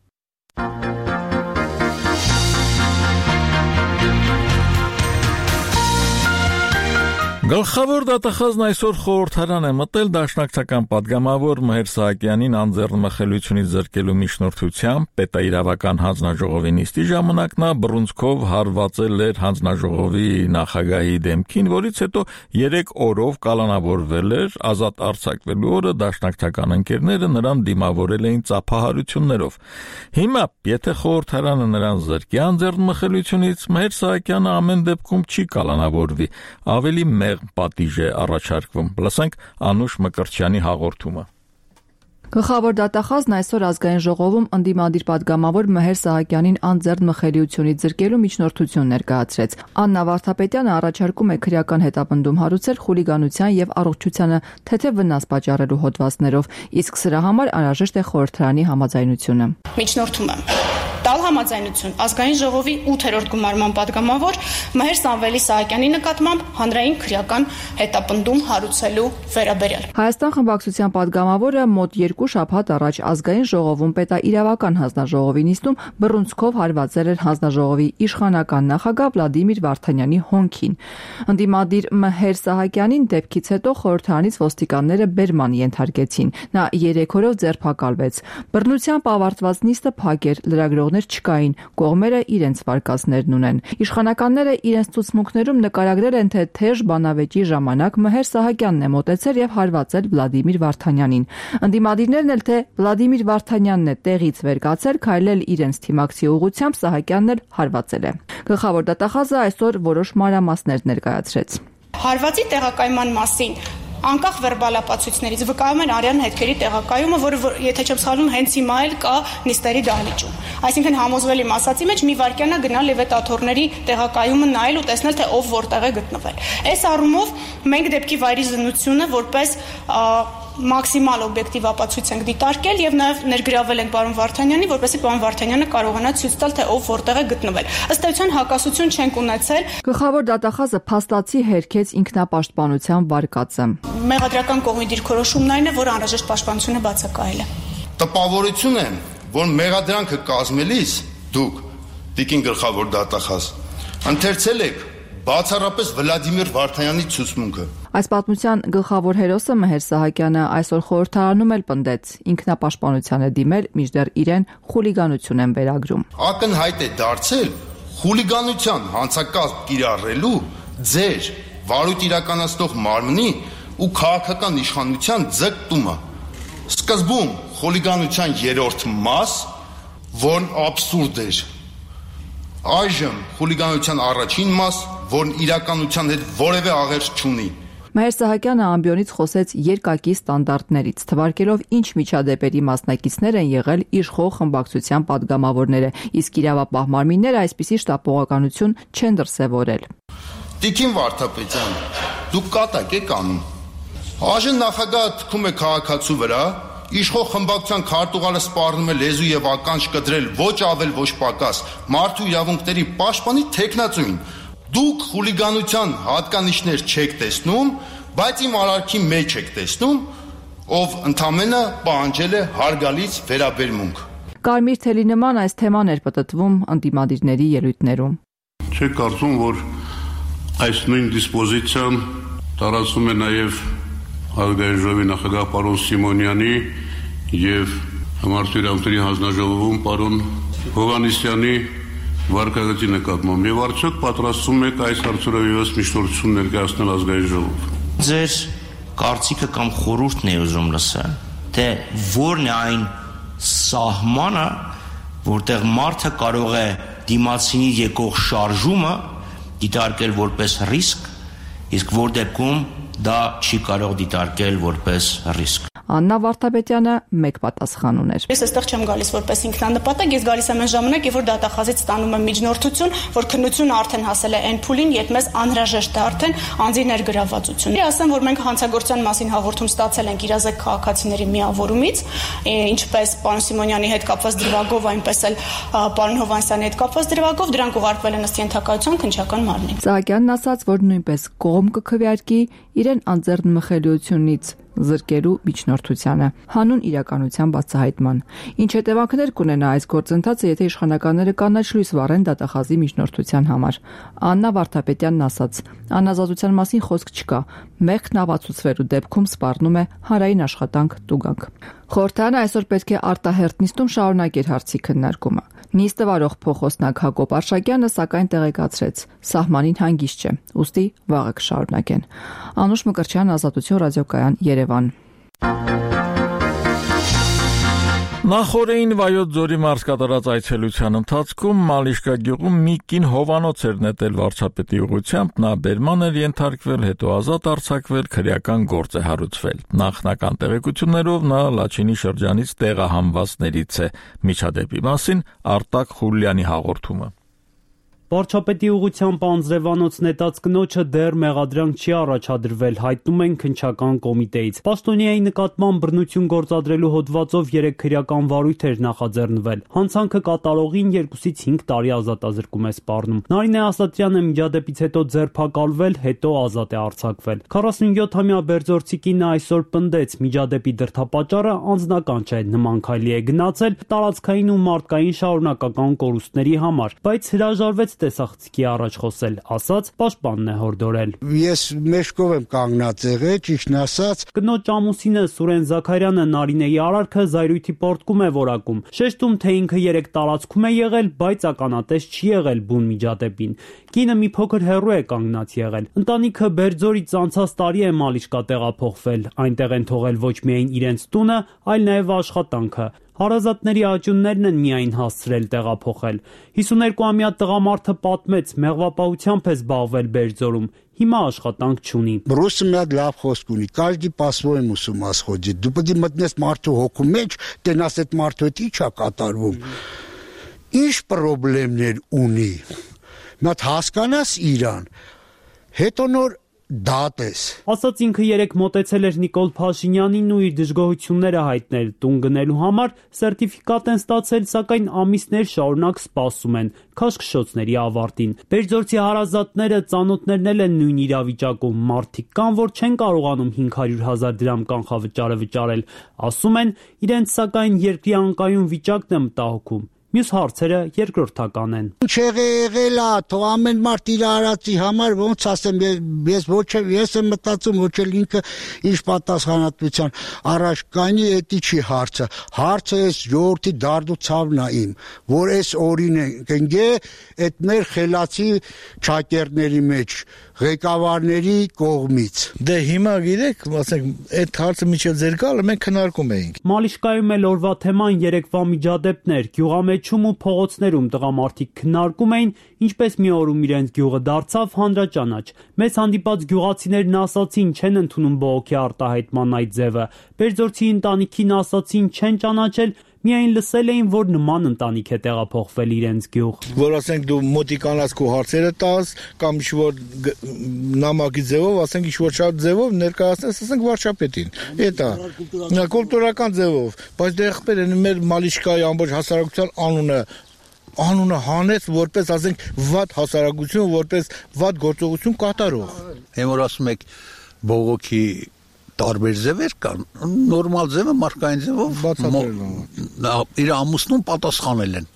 Գլխավոր դատախազն այսօր խորհրդարան է մտել դաշնակցական պատգամավոր Մհեր Սահակյանին անձեռնմխելիությունից զրկելու միջնորդությամբ պետաիրավական հանձնաժողովի նիստի ժամանակ նա բռունցքով հարվածել էր հանձնաժողովի նախագահի դեմքին, որից հետո 3 օրով կալանավորվել էր, ազատ արձակվելու օրը դաշնակցական ընկերները նրան դիմավորել էին ծափահարություններով։ Հիմա, եթե խորհրդարանը նրան զրկի անձեռնմխելիությունից, Մհեր Սահակյանը ամեն դեպքում չի կալանավորվի, ավելի պատիժ է առաջարկվում։ Լսենք Անուշ Մկրտչյանի հաղորդումը։ Գլխավոր դատախազն այսօր ազգային ժողովում ընդդիմադիր պատգամավոր Մհեր Սահակյանին անձեռնմխելիությունից զրկելու միջնորդություն ներկայացրեց։ Աննա Վարդապետյանը առաջարկում է քրեական հետապնդում հարուցել խուլիգանության եւ առողջությանը թեթև վնաս պատճառելու հոդվածներով, իսկ սրա համար անհրաժեշտ է խորհրդարանի համաձայնությունը։ Միջնորդում եմ տալ համաձայնություն ազգային ժողովի 8-րդ գումարման պատգամավոր Մհեր Սամվելի Սահակյանի նկատմամբ հանրային քրեական հետապնդում հարուցելու վերաբերյալ։ Հայաստան խմբակցության պատգամավորը մոտ 2 շաբաթ առաջ ազգային ժողովում պետաիրավական հանձնաժողովի նիստում բռունցքով հարվածել էր հանձնաժողովի իշխանական նախագահ Վլադիմիր Վարդանյանի հոնքին։ Ընդդիմադիր Մհեր Սահակյանին դեպքից հետո խորհրդարանից ոստիկանները բերման ենթարկեցին։ Նա 3 օրով ձերբակալվեց։ Բռնությամբ ավարտված նիստը փակ էր, լրագրողներ չկային, կողմերը իրենց վարկածներն ունեն։ Իշխանականները իրենց ցուցմունքներում նկարագրել են, թե թեժ բանավեճի ժամանակ Մհեր Սահակյանն է մոտեցել եւ հարվածել Վլադիմիր Վարդանյանին։ Ընդդիմադիրներն էլ թե Վլադիմիր Վարդանյանն է տեղից վեր կացել, քայլել իրենց թիմակցի ուղղությամբ, Սահակյանն էլ հարվածել է։ Գլխավոր դատախազը այսօր որոշ մանրամասներ ներկայացրեց։ Հարվածի տեղակայման մասին անկախ վերբալապացույցներից վկայում են արյան հետքերի տեղակայումը, որը եթե չեմ սխալվում, հենց հիմա էլ կա նիստերի դահլիճում։ Այսինքն համոզվելի մասացի մեջ մի վայրկյանա գնալ եւ այդ աթոռների տեղակայումը նայել ու տեսնել, թե ով որտեղ է գտնվել։ Այս առումով մենք դեպքի վայրի զննությունը որպես մաքսիմալ օբյեկտիվ ապացույց ենք դիտարկել եւ նաեւ ներգրավել ենք պարոն Վարդանյանին, որպեսզի պարոն Վարդանյանը կարողանա ցույց տալ, թե ով որտեղ է գտնվել։ Ըստ էության հակասություն չենք ունեցել։ Գլխավոր դատախազը փաստացի հերքեց ինքնապաշտպանության վարկածը։ Մեղադրական կողմի դիրքորոշումն այն է, որ անհրաժեշտ պաշտպանությունը բացակայել է։ Տպավորություն է, որ մեղադրանքը կազմելիս դուք տիկին գլխավոր դատախազ ընթերցել եք բացառապես Վլադիմիր Վարդանյանի ցուցմունքը։ Այս պատմության գլխավոր հերոսը Մհեր Սահակյանը այսօր խորհրդարանում էլ պնդեց ինքնապաշտպանության է դիմել, մինչդեռ իրեն խուլիգանություն են վերագրում։ Ակնհայտ է դարձել խուլիգանության հանցակազմ կիրառելու ձեր վարույթ իրականացնող մարմնի ու քաղաքական իշխանության ձգտումը։ Սկզբում խուլիգանության 3-րդ մաս, որն աբսուրդ էր։ Այժմ խուլիգանության առաջին մաս, որն իրականության հետ որևէ աղերս չունի։ Մհեր Սահակյանը ամբիոնից խոսեց երկակի ստանդարտներից, թվարկելով ինչ միջադեպերի մասնակիցներ են եղել իշխող խմբակցության պատգամավորները, իսկ իրավապահ մարմինները այսպիսի շտապողականություն չեն դրսևորել։ Տիկին Վարդապետյան, դուք կատակ եք անում։ Այժմ նախագահը թքում է քաղաքացու վրա, իշխող խմբակցության քարտուղարը սպառնում է լեզու եւ ականջ կտրել ոչ ավել ոչ պակաս մարդու իրավունքների պաշտպանի թեկնածուին։ Դուք խուլիգանության հատկանիշներ չեք տեսնում, բայց իմ արարքի մեջ եք տեսնում, ով ընդամենը պահանջել է հարգալից վերաբերմունք։ Կարմիր թելի նման այս թեման էր պտտվում ընդդիմադիրների ելույթներում։ Չեք կարծում, որ այս նույն դիսպոզիցիան տարածվում է նաև ազգային ժողովի նախագահ պարոն Սիմոնյանի եւ մարդու իրավունքների հանձնաժողովում պարոն Հովհաննիսյանի վարկագծի նկատմամբ եւ արդյոք պատրաստվում եք այս հարցերով եւս միջնորդություն ներկայացնել ազգային ժողով։ Ձեր կարծիքը կամ խորհուրդն է ուզում լսել, թե որն է այն սահմանը, որտեղ մարդը կարող է դիմացինի եկող շարժումը դիտարկել որպես ռիսկ Իսկ որ դեպքում դա չի կարող դիտարկել որպես ռիսկ։ Աննա Վարդապետյանը մեկ պատասխան ուներ։ Ես այստեղ չեմ գալիս որպես ինքնանպատակ, ես գալիս եմ այն ժամանակ, երբ որ դատախազից ստանում եմ միջնորդություն, որ քննությունը արդեն հասել է այն փուլին, երբ մեզ անհրաժեշտ է արդեն անձի ներգրավվածություն։ Ասեմ, որ մենք հանցագործության մասին հաղորդում ստացել ենք իրազեկ քաղաքացիների միավորումից, ինչպես պարոն Սիմոնյանի հետ կապված դրվագով, այնպես էլ պարոն Հովանեսյանի հետ կապված դրվագով, դրանք ուղարկվել են ըստ ենթակայության քննչական մարմնին։ Սահակյանն ասաց, որ նույնպես կողմ կքվեարկի իրեն անձեռնմխելիությունից զրկելու միջնորդությանը, հանուն իրականության բացահայտման։ Ինչ հետևանքներ կունենա այս գործընթացը, եթե իշխանականները կանաչ լույս վառեն դատախազի միջնորդության համար։ Աննա Վարդապետյանն ասաց. անազատության մասին խոսք չկա, մեղքն ապացուցվելու դեպքում սպառնում է հանրային աշխատանք տուգանք։ Խորհրդարանը այսօր պետք է արտահերթ նիստում շարունակեր հարցի քննարկումը։ Նիստը վարող փոխոստնակ Հակոբ Արշակյանը սակայն տեղեկացրեց. սահմանին հանգիստ չէ, ուստի վաղը կշարունակեն։ Անուշ Մկրտչյան, Ազատություն ռադիոկայան, Երևան։ Նախորդին Վայոց ձորի մարզ կատարած այցելության ընթացքում Մալիշկա գյուղում մի կին հովանոց էր նետել վարչապետի ուղղությամբ, նա բերման էր ենթարկվել, հետո ազատ արձակվել, քրեական գործ է հարուցվել։ Նախնական տեղեկություններով նա Լաչինի շրջանից տեղահանվածներից է։ Միջադեպի մասին Արտակ Խուլյանի հաղորդումը։ Վարչապետի ուղղությամբ անձրևանոց նետած կնոջը դեռ մեղադրանք չի առաջադրվել, հայտնում են քննչական կոմիտեից։ Պաշտոնյայի նկատմամբ բռնություն գործադրելու հոդվածով 3 քրեական վարույթ էր նախաձեռնվել։ Հանցանքը կատարողին 2-ից 5 տարի ազատազրկում է սպառնում։ Նարինե Ասատրյանը միջադեպից հետո ձերբակալվել, հետո ազատ է արձակվել։ 47-ամյա Բերձորցի կինը այսօր պնդեց, միջադեպի դրդապատճառը անձնական չէ, նման քայլի է գնացել տարածքային ու մարդկային շարունակական կորուստների համար, բայց հրաժարվեց տեսախցիկի առաջ խոսել, ասաց պաշտպանն է հորդորել։ Ես մեջքով եմ կանգնած եղել, ճիշտն ասած։ Կնոջ ամուսինը Սուրեն Զաքարյանը Նարինեի արարքը զայրույթի պորտկում է որակում, շեշտում, թե ինքը 3 տարածքում է եղել, բայց ականատես չի եղել բուն միջադեպին։ Կինը մի փոքր հեռու է կանգնած եղել։ Ընտանիքը Բերձորից անցած տարի է Մալիշկա տեղափոխվել, այնտեղ են թողել ոչ միայն իրենց տունը, այլ նաև աշխատանքը։ Հարազատների աճյուններն են միայն հասցրել տեղափոխել։ 52-ամյա տղամարդը պատմեց, մեղվապահությամբ է զբաղվել Բերձորում, հիմա աշխատանք չունի։ Ռուսը մի հատ լավ խոսք ունի, каждый по-своему с ума сходит։ Դու պետք է մտնես մարդու հոգու մեջ, տենաս այդ մարդու հետ ի՞նչ է կատարվում։ Ինչ խնդիրներ ունի։ Մի հատ հասկանաս իրան։ Հետո նոր դատես։ Ասաց ինքը 3 մոտեցել էր Նիկոլ Փաշինյանին ու իր դժգոհությունները հայտնել տուն գնելու համար, սերտիֆիկատ են ստացել, սակայն ամիսներ շարունակ սպասում են քաշքշոցների ավարտին։ Բերձորցի հարազատները, ծանոթներն էլ են նույն իրավիճակում, մարդիկ կան, որ չեն կարողանում 500,000 դրամ կանխավճարը վճարել, ասում են, իրենց սակայն երկրի անկայուն վիճակն է մտահոգում։ Մյուս հարցերը երկրորդական են։ Ինչ եղել է, թող ամեն մարդ իր արածի համար ոնց ասեմ, ես եմ մտածում, ոչ էլ ինքը ինչ պատասխանատվության առաջ կանի, էդի չի հարցը։ Հարցը էս ժողովրդի դարդուցավն է իմ, որ էս օրին ընկե այդ մեր խելացի ճակերտների մեջ ղեկավարների կողմից։ Դե հիմա գիտեք, ասենք, այդ հարցը միջև ձեր գալը մենք քննարկում էինք։ Մալիշկայում էլ օրվա թեման երեկվա միջադեպներ, գյուղամեջում ու փողոցներում տղամարդիկ քննարկում էին, ինչպես մի օրում իրենց գյուղը դարձավ հանրաճանաչ։ Մեզ հանդիպած գյուղացիներն ասացին, չեն ընդունում բողոքի արտահայտման այդ ձևը։ Բերձորցի ընտանիքին ասացին, չեն ճանաչել, միայն լսել էին, որ նման ընտանիք է տեղափոխվել իրենց գյուղ։ Որ ասենք դու մոտիկանաս քո հարցերը տաս կամ ինչ-որ նամակի ձևով, ասենք ինչ-որ շատ ձևով ներկայացնես, ասենք վարչապետին։ Էտա կուլտուրական ձևով, բայց դե եղբայր են մեր Մալիշկայի ամբողջ հասարակության անունը հանեց որպես, ասենք, վատ հասարակություն, որպես վատ գործողություն կատարող։ Եմ որ ասում եք բողոքի տարբեր ձևեր կան, նորմալ ձևը մարդկային ձևով իր ամուսնուն պատասխանել են։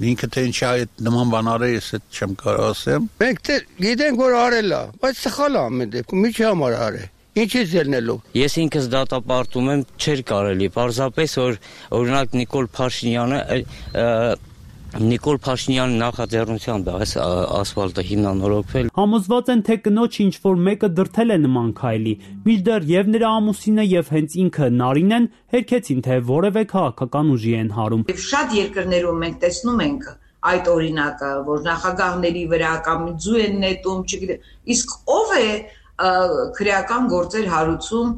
Ինքը թե ինչի այդ նման բան արել, ես այդ չեմ կարող ասեմ։ Մենք գիտենք որ արել է, բայց սխալ է ամեն դեպքում, ինչի համար արել։ Ինչից ելնելով։ Ես ինքս դատապարտում եմ, չէր կարելի, պարզապես որ օրինակ Նիկոլ Փաշինյանի նախաձեռնությամբ է այս ասֆալտը հիմնանորոգվել։ Համոզված են, թե կնոջ ինչ-որ մեկը դրդել է նման քայլի, մինչդեռ եւ նրա ամուսինը եւ հենց ինքը Նարինեն հերքեցին, թե որևէ քաղաքական ուժի են հարում։ Շատ երկրներում մենք տեսնում ենք այդ օրինակը, որ նախագահների վրա կամ ձու են նետում, չգիտեմ, իսկ ով է քրեական գործեր հարուցում,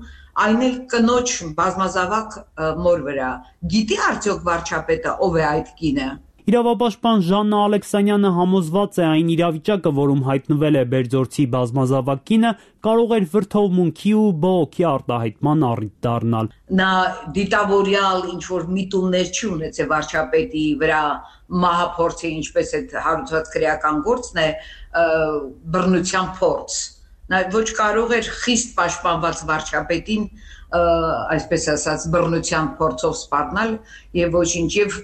այն էլ կնոջ բազմազավակ մոր վրա, գիտի արդյոք վարչապետը ով է այդ կինը։ Իրավապաշտպան Ժաննա Ալեքսանյանը համոզված է այն իրավիճակը, որում հայտնվել է Բերձորցի բազմազավակ կինը, կարող էր վրդովմունքի ու բողոքի արտահայտման առիթ դառնալ։ Նա դիտավորյալ ինչ-որ միտումներ չի ունեցել վարչապետի վրա, մահափորձի, ինչպես այդ հարուցված քրեական գործն է, բռնության փորձ։ Նա ոչ կարող էր խիստ պաշտպանված վարչապետին, այսպես ասած, բռնության փորձով սպառնալ եւ ոչինչ եւ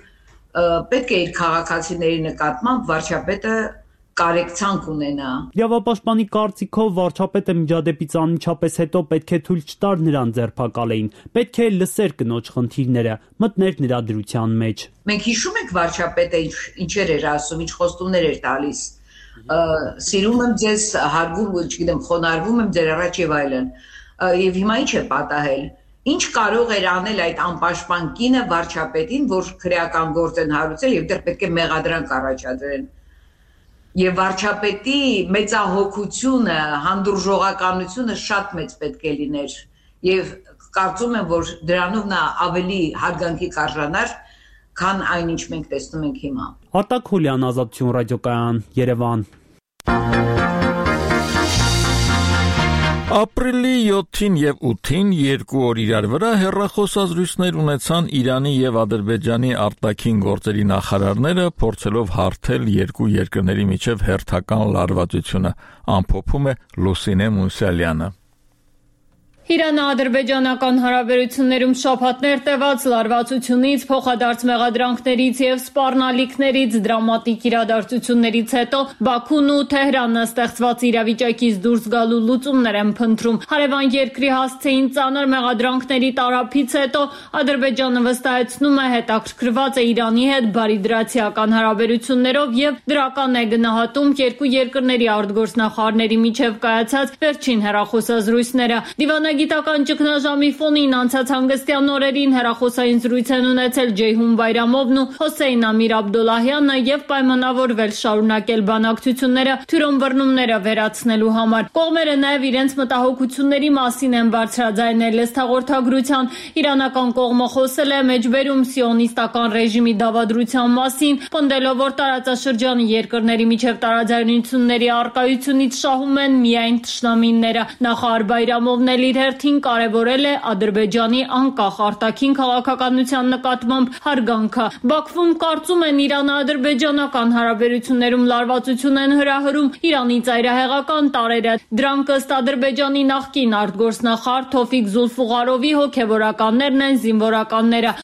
պետք է իր քաղաքացիների նկատմամբ վարչապետը կարեկցանք ունենա։ Իրավապաշտպանի կարծիքով վարչապետը միջադեպից անմիջապես հետո պետք է թույլ չտար նրան ձերբակալեին, պետք է լսեր կնոջ խնդիրները, մտներ նրա դրության մեջ։ Մենք հիշում ենք վարչապետը ինչեր էր ասում, ինչ խոստումներ էր տալիս։ Սիրում եմ ձեզ, հարգում, չգիտեմ, խոնարհվում եմ ձեր առաջ եւ այլն։ Եվ հիմա ինչ է պատահել։ Ինչ կարող էր անել այդ անպաշտպան կինը վարչապետին, որ քրեական գործ են հարուցել եւ դեռ պետք է մեղադրանք առաջադրեն։ Եվ վարչապետի մեծահոգությունը, հանդուրժողականությունը շատ մեծ պետք է լիներ։ Եվ կարծում եմ, որ դրանով նա ավելի հարգանքի կարժանար, քան այն ինչ մենք տեսնում ենք հիմա։ Արտակ Խուլյան, Ազատություն ռադիոկայան, Երևան։ Ապրիլի 7-ին եւ 8-ին երկու օր իրար վրա հեռախոսազրույցներ ունեցան Իրանի եւ Ադրբեջանի արտաքին գործերի նախարարները, փորձելով հարթել երկու երկրների միջև հերթական լարվածությունը, ամփոփում է Լուսինե Մուսալյանը։ Իրано-ադրբեջանական հարաբերություններում շաբաթներ տևած լարվածությունից, փոխադարձ մեղադրանքներից եւ սպառնալիքներից, դրամատիկ իրադարձություններից հետո Բաքուն ու Թեհրանը ստեղծված իրավիճակից դուրս գալու լուծումներ են փնտրում։ Հարևան երկրի հասցեին ծանր մեղադրանքների տարափից հետո Ադրբեջանը վստահեցնում է հետաքրքրված է Իրանի հետ բարիդրացիական հարաբերություններով եւ դրական է գնահատում երկու երկրների արտգործնախարարների միջև կայացած վերջին հեռախոսազրույցները։ Դիվանագիտական ճգնաժամի ֆոնին անցած հանգստյան օրերին հեռախոսային զրույց են ունեցել Ջեյհուն Բայրամովն ու Հոսեյն Ամիր Աբդոլլահյանը եւ պայմանավորվել շարունակել բանակցությունները թյուրըմբռնումները վերացնելու համար։ Կողմերը նաեւ իրենց մտահոգությունների մասին են բարձրաձայնել լեզթաղորդագրության։ Իրանական կողմը խոսել է մեջբերում սիոնիստական ռեժիմի դավադրության մասին, պնդելով, որ տարածաշրջանի երկրների միջև տարաձայնությունների առկայությունից շահում են միայն թշնամիները։ Նախարար Բայրամովն էլ իր հերթին կարևորել է Ադրբեջանի անկախ արտաքին քաղաքականության նկատմամբ հարգանքը։ Բաքվում կարծում են իրано-ադրբեջանական հարաբերություններում լարվածություն են հրահրում Իրանի ծայրահեղական տարրերը։ Դրանք ըստ Ադրբեջանի նախկին արտգործնախարար Թոֆիկ Զուլֆուղարովի հոգևորականներն են զինվորականները։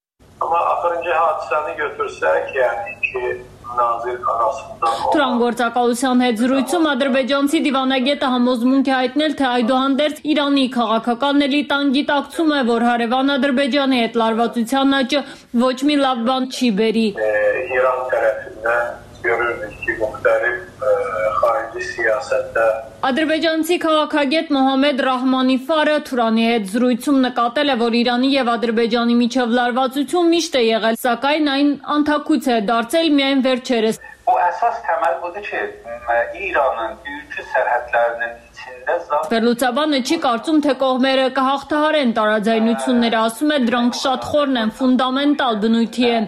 Թուրանգործակալության հետ զրույցում ադրբեջանցի դիվանագետը համոզմունք է հայտնել, թե այդուհանդերձ Իրանի քաղաքական էլիտան գիտակցում է, որ հարևան Ադրբեջանի հետ լարվածության աճը ոչ մի լավ բան չի բերի։ Իրան տարածքն Ադրբեջանցի քաղաքագետ Մոհամեդ Ռահմանիֆարը Թուրանի հետ զրույցում նկատել է, որ Իրանի եւ Ադրբեջանի միջև լարվածություն միշտ է եղել, սակայն այն անթաքույց է դարձել միայն վերջերս։ Əsas təməl budur ki, İranın ülkə sərhədlərinin Վերլուծաբանը չի կարծում, թե կողմերը կհաղթահարեն տարաձայնությունները, ասում է դրանք շատ խորն են, ֆունդամենտալ բնույթի են։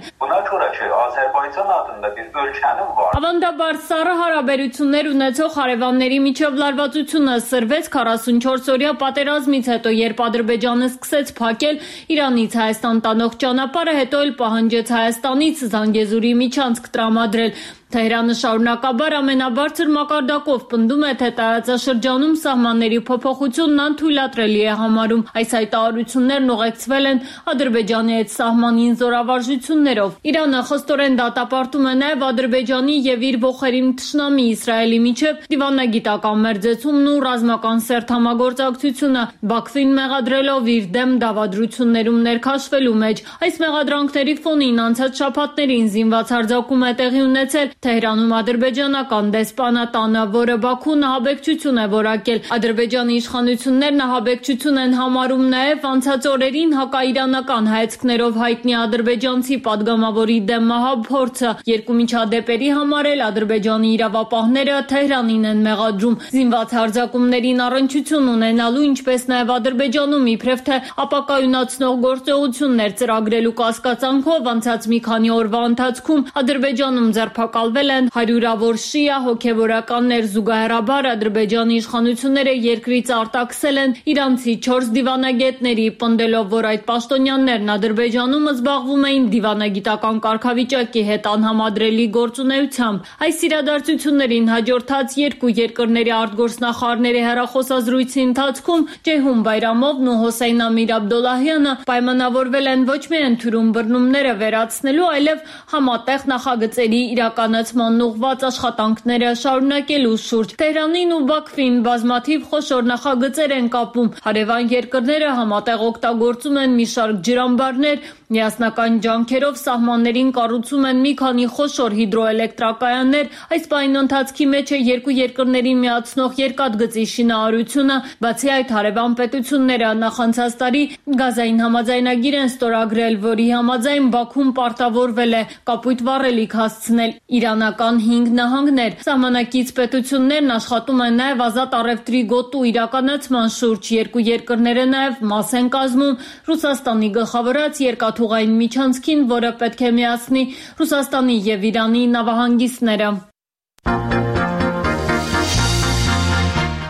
Ավանդաբար սառը հարաբերություններ ունեցող հարևանների միջև լարվածությունը սրվեց 44-օրյա պատերազմից հետո, երբ Ադրբեջանը սկսեց փակել Իրանից Հայաստան տանող ճանապարհը, հետո էլ պահանջեց Հայաստանից Զանգեզուրի միջանցք տրամադրել։ Թեհրանը շարունակաբար ամենաբարձր մակարդակով պնդում է, թե տարածաշրջանում սահմանների փոփոխությունն անթույլատրելի է համարում։ Այս հայտարարություններն ուղեկցվել են Ադրբեջանի հետ սահմանին զորավարժություններով։ Իրանը խստորեն դատապարտում է նաև Ադրբեջանի եւ իր ողերին թշնամի Իսրայելի միջև դիվանագիտական մերձեցումն ու ռազմական սերտ համագործակցությունը, Բաքվին մեղադրելով իր դեմ դավադրություններում ներքաշվելու մեջ։ Այս մեղադրանքների ֆոնին անցած շաբաթներին զինված հարձակում է տեղի ունեցել Թեհրանում ադրբեջանական դեսպանատանը, որը Բաքուն ահաբեկչություն է որակել, Ադրբեջանի իշխանություններն ահաբեկչություն են համարում նաև անցած օրերին հակաիրանական հայացքներով հայտնի ադրբեջանցի падգամավորի դեմ մահափորձը։ Երկու միջադեպերի համար էլ Ադրբեջանի իրավապահները Թեհրանին են մեղադրում զինված հարձակումներին առնչություն ունենալու, ինչպես նաև Ադրբեջանում իբրև թե ապակայունացնող գործողություններ ծրագրելու կասկածանքով անցած մի քանի օրվա ընթացքում Ադրբեջանում ձերբակալվել են հարյուրավոր շիա հոգևորականներ։ Զուգահեռաբար Ադրբեջանի իշխանությունները երկրից արտաքսել են իրանցի 4 դիվանագետների, պնդելով, որ այդ պաշտոնյաներն Ադրբեջանում զբաղվում էին դիվանագիտական կարգավիճակի հետ անհամադրելի գործունեությամբ։ Այս իրադարձություններին հաջորդած երկու երկրների արտգործնախարարների հեռախոսազրույցի ընթացքում Ջեհուն Բայրամովն ու Հոսեյն Ամիր Աբդոլլահյանը պայմանավորվել են ոչ միայն թյուրում բռնումները վերացնելու, այլև համատեղ նախագծերի իրականացման ուղղված աշխատանքները շարունակելու շուրջ։ Թեհրանին ու Բաքվին բազմաթիվ խոշոր նախագծեր են կապում։ Հարևան երկրները համատեղ օգտագործում են մի շարք ջրամբարներ, միասնական ջանքերով սահմաններին կառուցում են մի քանի խոշոր հիդրոէլեկտրակայաններ։ Այս պահին ընթացքի մեջ է երկու երկրներին միացնող երկաթգծի շինարարությունը։ Բացի այդ, հարևան պետությունները նախանցած տարի գազային համաձայնագիր են ստորագրել, որի համաձայն Բաքուն պարտավորվել է կապույտ վառելիք հասցնել իրանական 5 նահանգներ։ Սահմանակից պետություններն աշխատում են նաև ազատ առևտրի գոտու իրականացման շուրջ։ Երկու երկրները նաև մաս են կազմում Ռուսաստանի գլխավորած երկաթուղային միջանցքին, որը պետք է միացնի Ռուսաստանի և Իրանի նավահանգիստները։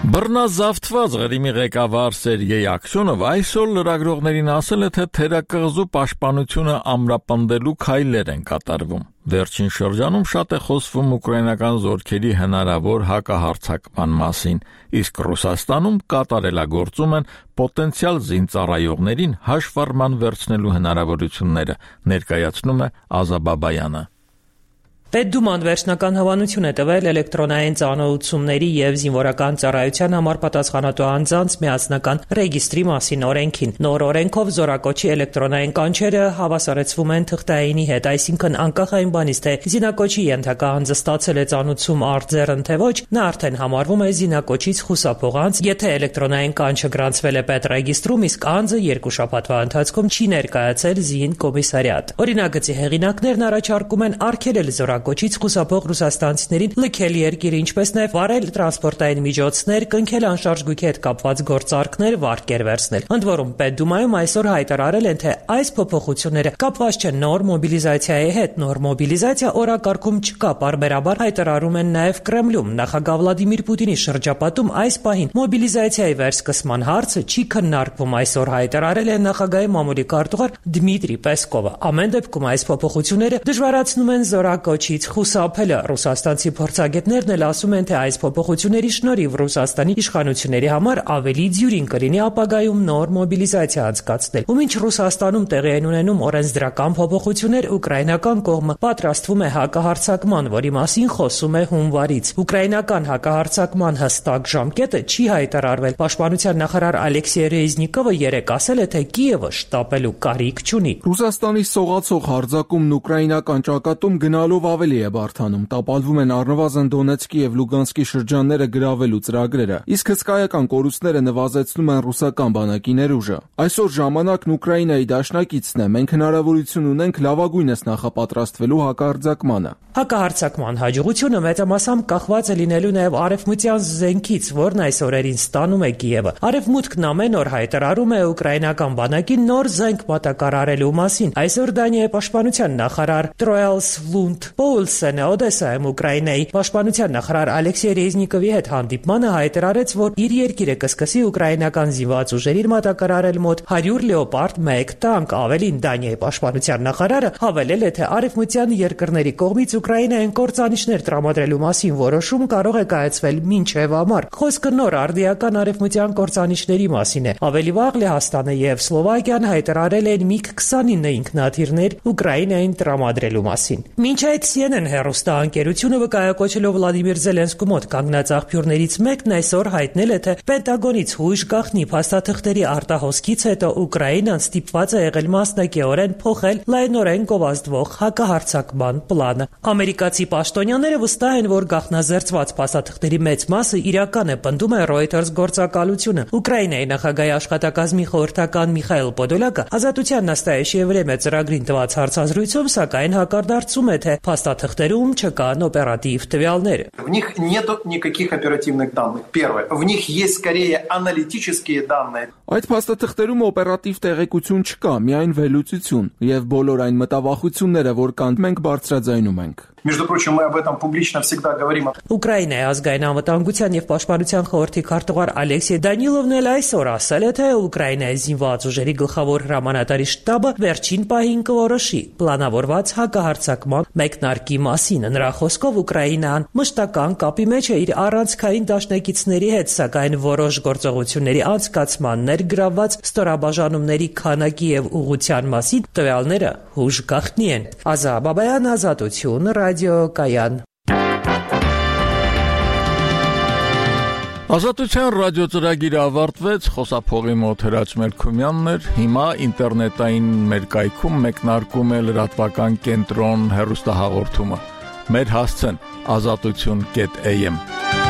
Բռնազավթված Ղրիմի ղեկավար Սերգեյ Աքսյոնով այսօր լրագրողներին ասել է, թե թերակղզու պաշտպանությունը ամրապնդելու քայլեր են կատարվում։ Վերջին շրջանում շատ է խոսվում ուկրաինական զորքերի հնարավոր հակահարձակման մասին, իսկ Ռուսաստանում կատարելագործում են պոտենցիալ զինծառայողներին հաշվառման վերցնելու հնարավորությունները, ներկայացնում է Ազաբաբայանը։ Պետդուման վերջնական հավանություն է տվել էլեկտրոնային ծանոթությունների և զինվորական ծառայության համար պատասխանատու անձանց միասնական ռեգիստրի մասին օրենքին։ Նոր օրենքով զորակոչի էլեկտրոնային կանչերը հավասարեցվում են թղթայինի հետ, այսինքն անկախ այն բանից, թե զինակոչի ենթակա անձը ստացել է ծանոթություն արձեռն թե ոչ, նա արդեն համարվում է զինակոչից խուսափող անձ, եթե էլեկտրոնային կանչը գրանցվել է պետռեգիստրում, իսկ անձը 2 շաբաթվա ընթացքում չի ներկայացել զին կոմիսարիատ։ Օրինագծի հեղինակներն առաջարկում են արգելել զորակոչից խուսափող ռուսաստանցիներին լքել երկիրը, ինչպես նաև վարել տրանսպորտային միջոցներ, կնքել անշարժ գույքի հետ կապված գործարքներ, վարկեր վերցնել։ Ընդ որում, Պետդումայում այսօր հայտարարել են, թե այս փոփոխությունները կապված չեն նոր մոբիլիզացիայի հետ։ Նոր մոբիլիզացիա օրակարգում չկա, պարբերաբար հայտարարում են նաև Կրեմլում։ Նախագահ Վլադիմիր Պուտինի շրջապատում այս պահին մոբիլիզացիայի վերսկսման հարցը չի քննարկվում, այսօր հայտարարել է նախագահի մամուլի քարտուղար Դմիտրի Պեսկովը։ Ամեն դեպքում այս փոփոխությունները դժվարացնում են զորակոչից խուսափելը։ Ռուսաստանցի փորձագետներն էլ ասում են, թե այս փոփոխությունների շնորհիվ Ռուսաստանի իշխանությունների համար ավելի դյուրին կլինի ապագայում նոր մոբիլիզացիա անցկացնել։ Ու մինչ Ռուսաստանում տեղի են ունենում օրենսդրական փոփոխություններ, ուկրաինական կողմը պատրաստվում է հակահարձակման, որի մասին խոսում է հունվարից։ Ուկրաինական հակահարձակման հստակ ժամկետը չի հայտարարվել։ Պաշտպանության նախարար Ալեքսեյ Ռեզնիկովը երեկ ասել է, թե Կիևը շտապելու կարիք չունի։ Ռուսաստանի սողացող հարձակումն ուկրաինական ճակատում գնալով ավելի է բարդանում։ Տապալվում են առնվազն Դոնեցկի և Լուգանսկի շրջանները գրավելու ծրագրերը, իսկ հսկայական կորուստները նվազեցնում են ռուսական բանակի ներուժը։ Այսօր ժամանակն Ուկրաինայի դաշնակիցն է, մենք հնարավորություն ունենք լավագույնս նախապատրաստվելու հակահարձակմանը։ Հակահարձակման հաջողությունը մեծամասամբ կախված է լինելու նաև արևմտյան զենքից, որն այս օրերին ստանում է Կիևը։ Արևմուտքն ամեն օր հայտարարում է ուկրաինական բանակին նոր զենք մատակարարելու մասին։ Այսօր Դանիայի պաշտպանության նախարար Տրոյլս Լունդ Պոուլսենը Օդեսայում Ուկրաինայի պաշտպանության նախարար Ալեքսեյ Ռեզնիկովի հետ հանդիպմանը հայտարարեց, որ իր երկիրը կսկսի ուկրաինական զինված ուժերին մատակարարել մոտ 100 Լեոպարդ 1 տանկ։ Ավելին, Դանիայի պաշտպանության նախարարը հավելել է, թե արևմտյան երկրների կողմից Ուկրաինային կործանիչներ տրամադրելու մասին որոշում կարող է կայացվել մինչև ամառ։ Խոսքը նոր արդիական արևմտյան կործանիչների մասին է։ Ավելի վաղ Լեհաստանը և Սլովակիան հայտարարել են MiG-29 ինքնաթիռներ Ուկրաինային տրամադրելու մասին։ Մինչ այդ CNN հեռուստաընկերությունը վկայակոչելով Վլադիմիր Զելենսկու մոտ կանգնած աղբյուրներից մեկն այսօր հայտնել է, թե Պենտագոնից հույժ գաղտնի փաստաթղթերի արտահոսքից հետո Ուկրաինան ստիպված է եղել մասնակիորեն փոխել լայնորեն գովազդվող հակահարձակման պլանը։ Ամերիկացի պաշտոնյաները վստահ են, որ գաղտնազերծված փաստաթղթերի մեծ մասը իրական է, պնդում է Reuters գործակալությունը։ Ուկրաինայի նախագահի աշխատակազմի խորհրդական Միխայել Պոդոլյակը Ազատության նստայեշի время ծրագրին տված հարցազրույցում սակայն հակարդարձում է, թե փաստաթղթերում չկան օպերատիվ տվյալներ։ В них нету никаких оперативных данных. Первое. В них есть скорее аналитические данные. Այդ փաստաթղթերում օպերատիվ տեղեկություն չկա, միայն վերլուծություն, եւ բոլոր այն մտավախությունները, որ կան, մենք բարձրաձայնում ենք։ Между прочим, мы об этом публично всегда говорим. Ուկրաինայի ազգային անվտանգության եւ պաշտպանության խորհրդի քարտուղար Ալեքսեյ Դանիլովն էլ այսօր ասել է, թե Ուկրաինայի զինված ուժերի գլխավոր հրամանատարի շտաբը վերջին պահին կորոշի պլանավորված հակահարձակման մեկնարկի մասին։ Նրա խոսքով Ուկրաինան մշտական կապի մեջ է իր առանցքային դաշնակիցների հետ, սակայն որոշ գործողությունների անցկացման ներգրավված ստորաբաժանումների քանակի եւ ուղղության մասին տվյալները հուժ գաղտնի են։ Ազա Բաբայան, Ազատություն, Ռադիոկայան։ Ազատության ռադիոծրագիրը ավարտվեց, խոսափողի մոտ Հրաչ Մելքումյանն էր, հիմա ինտերնետային մեր կայքում մեկնարկում է լրատվական կենտրոն հեռուստահաղորդումը։ Մեր հասցեն azatutun.am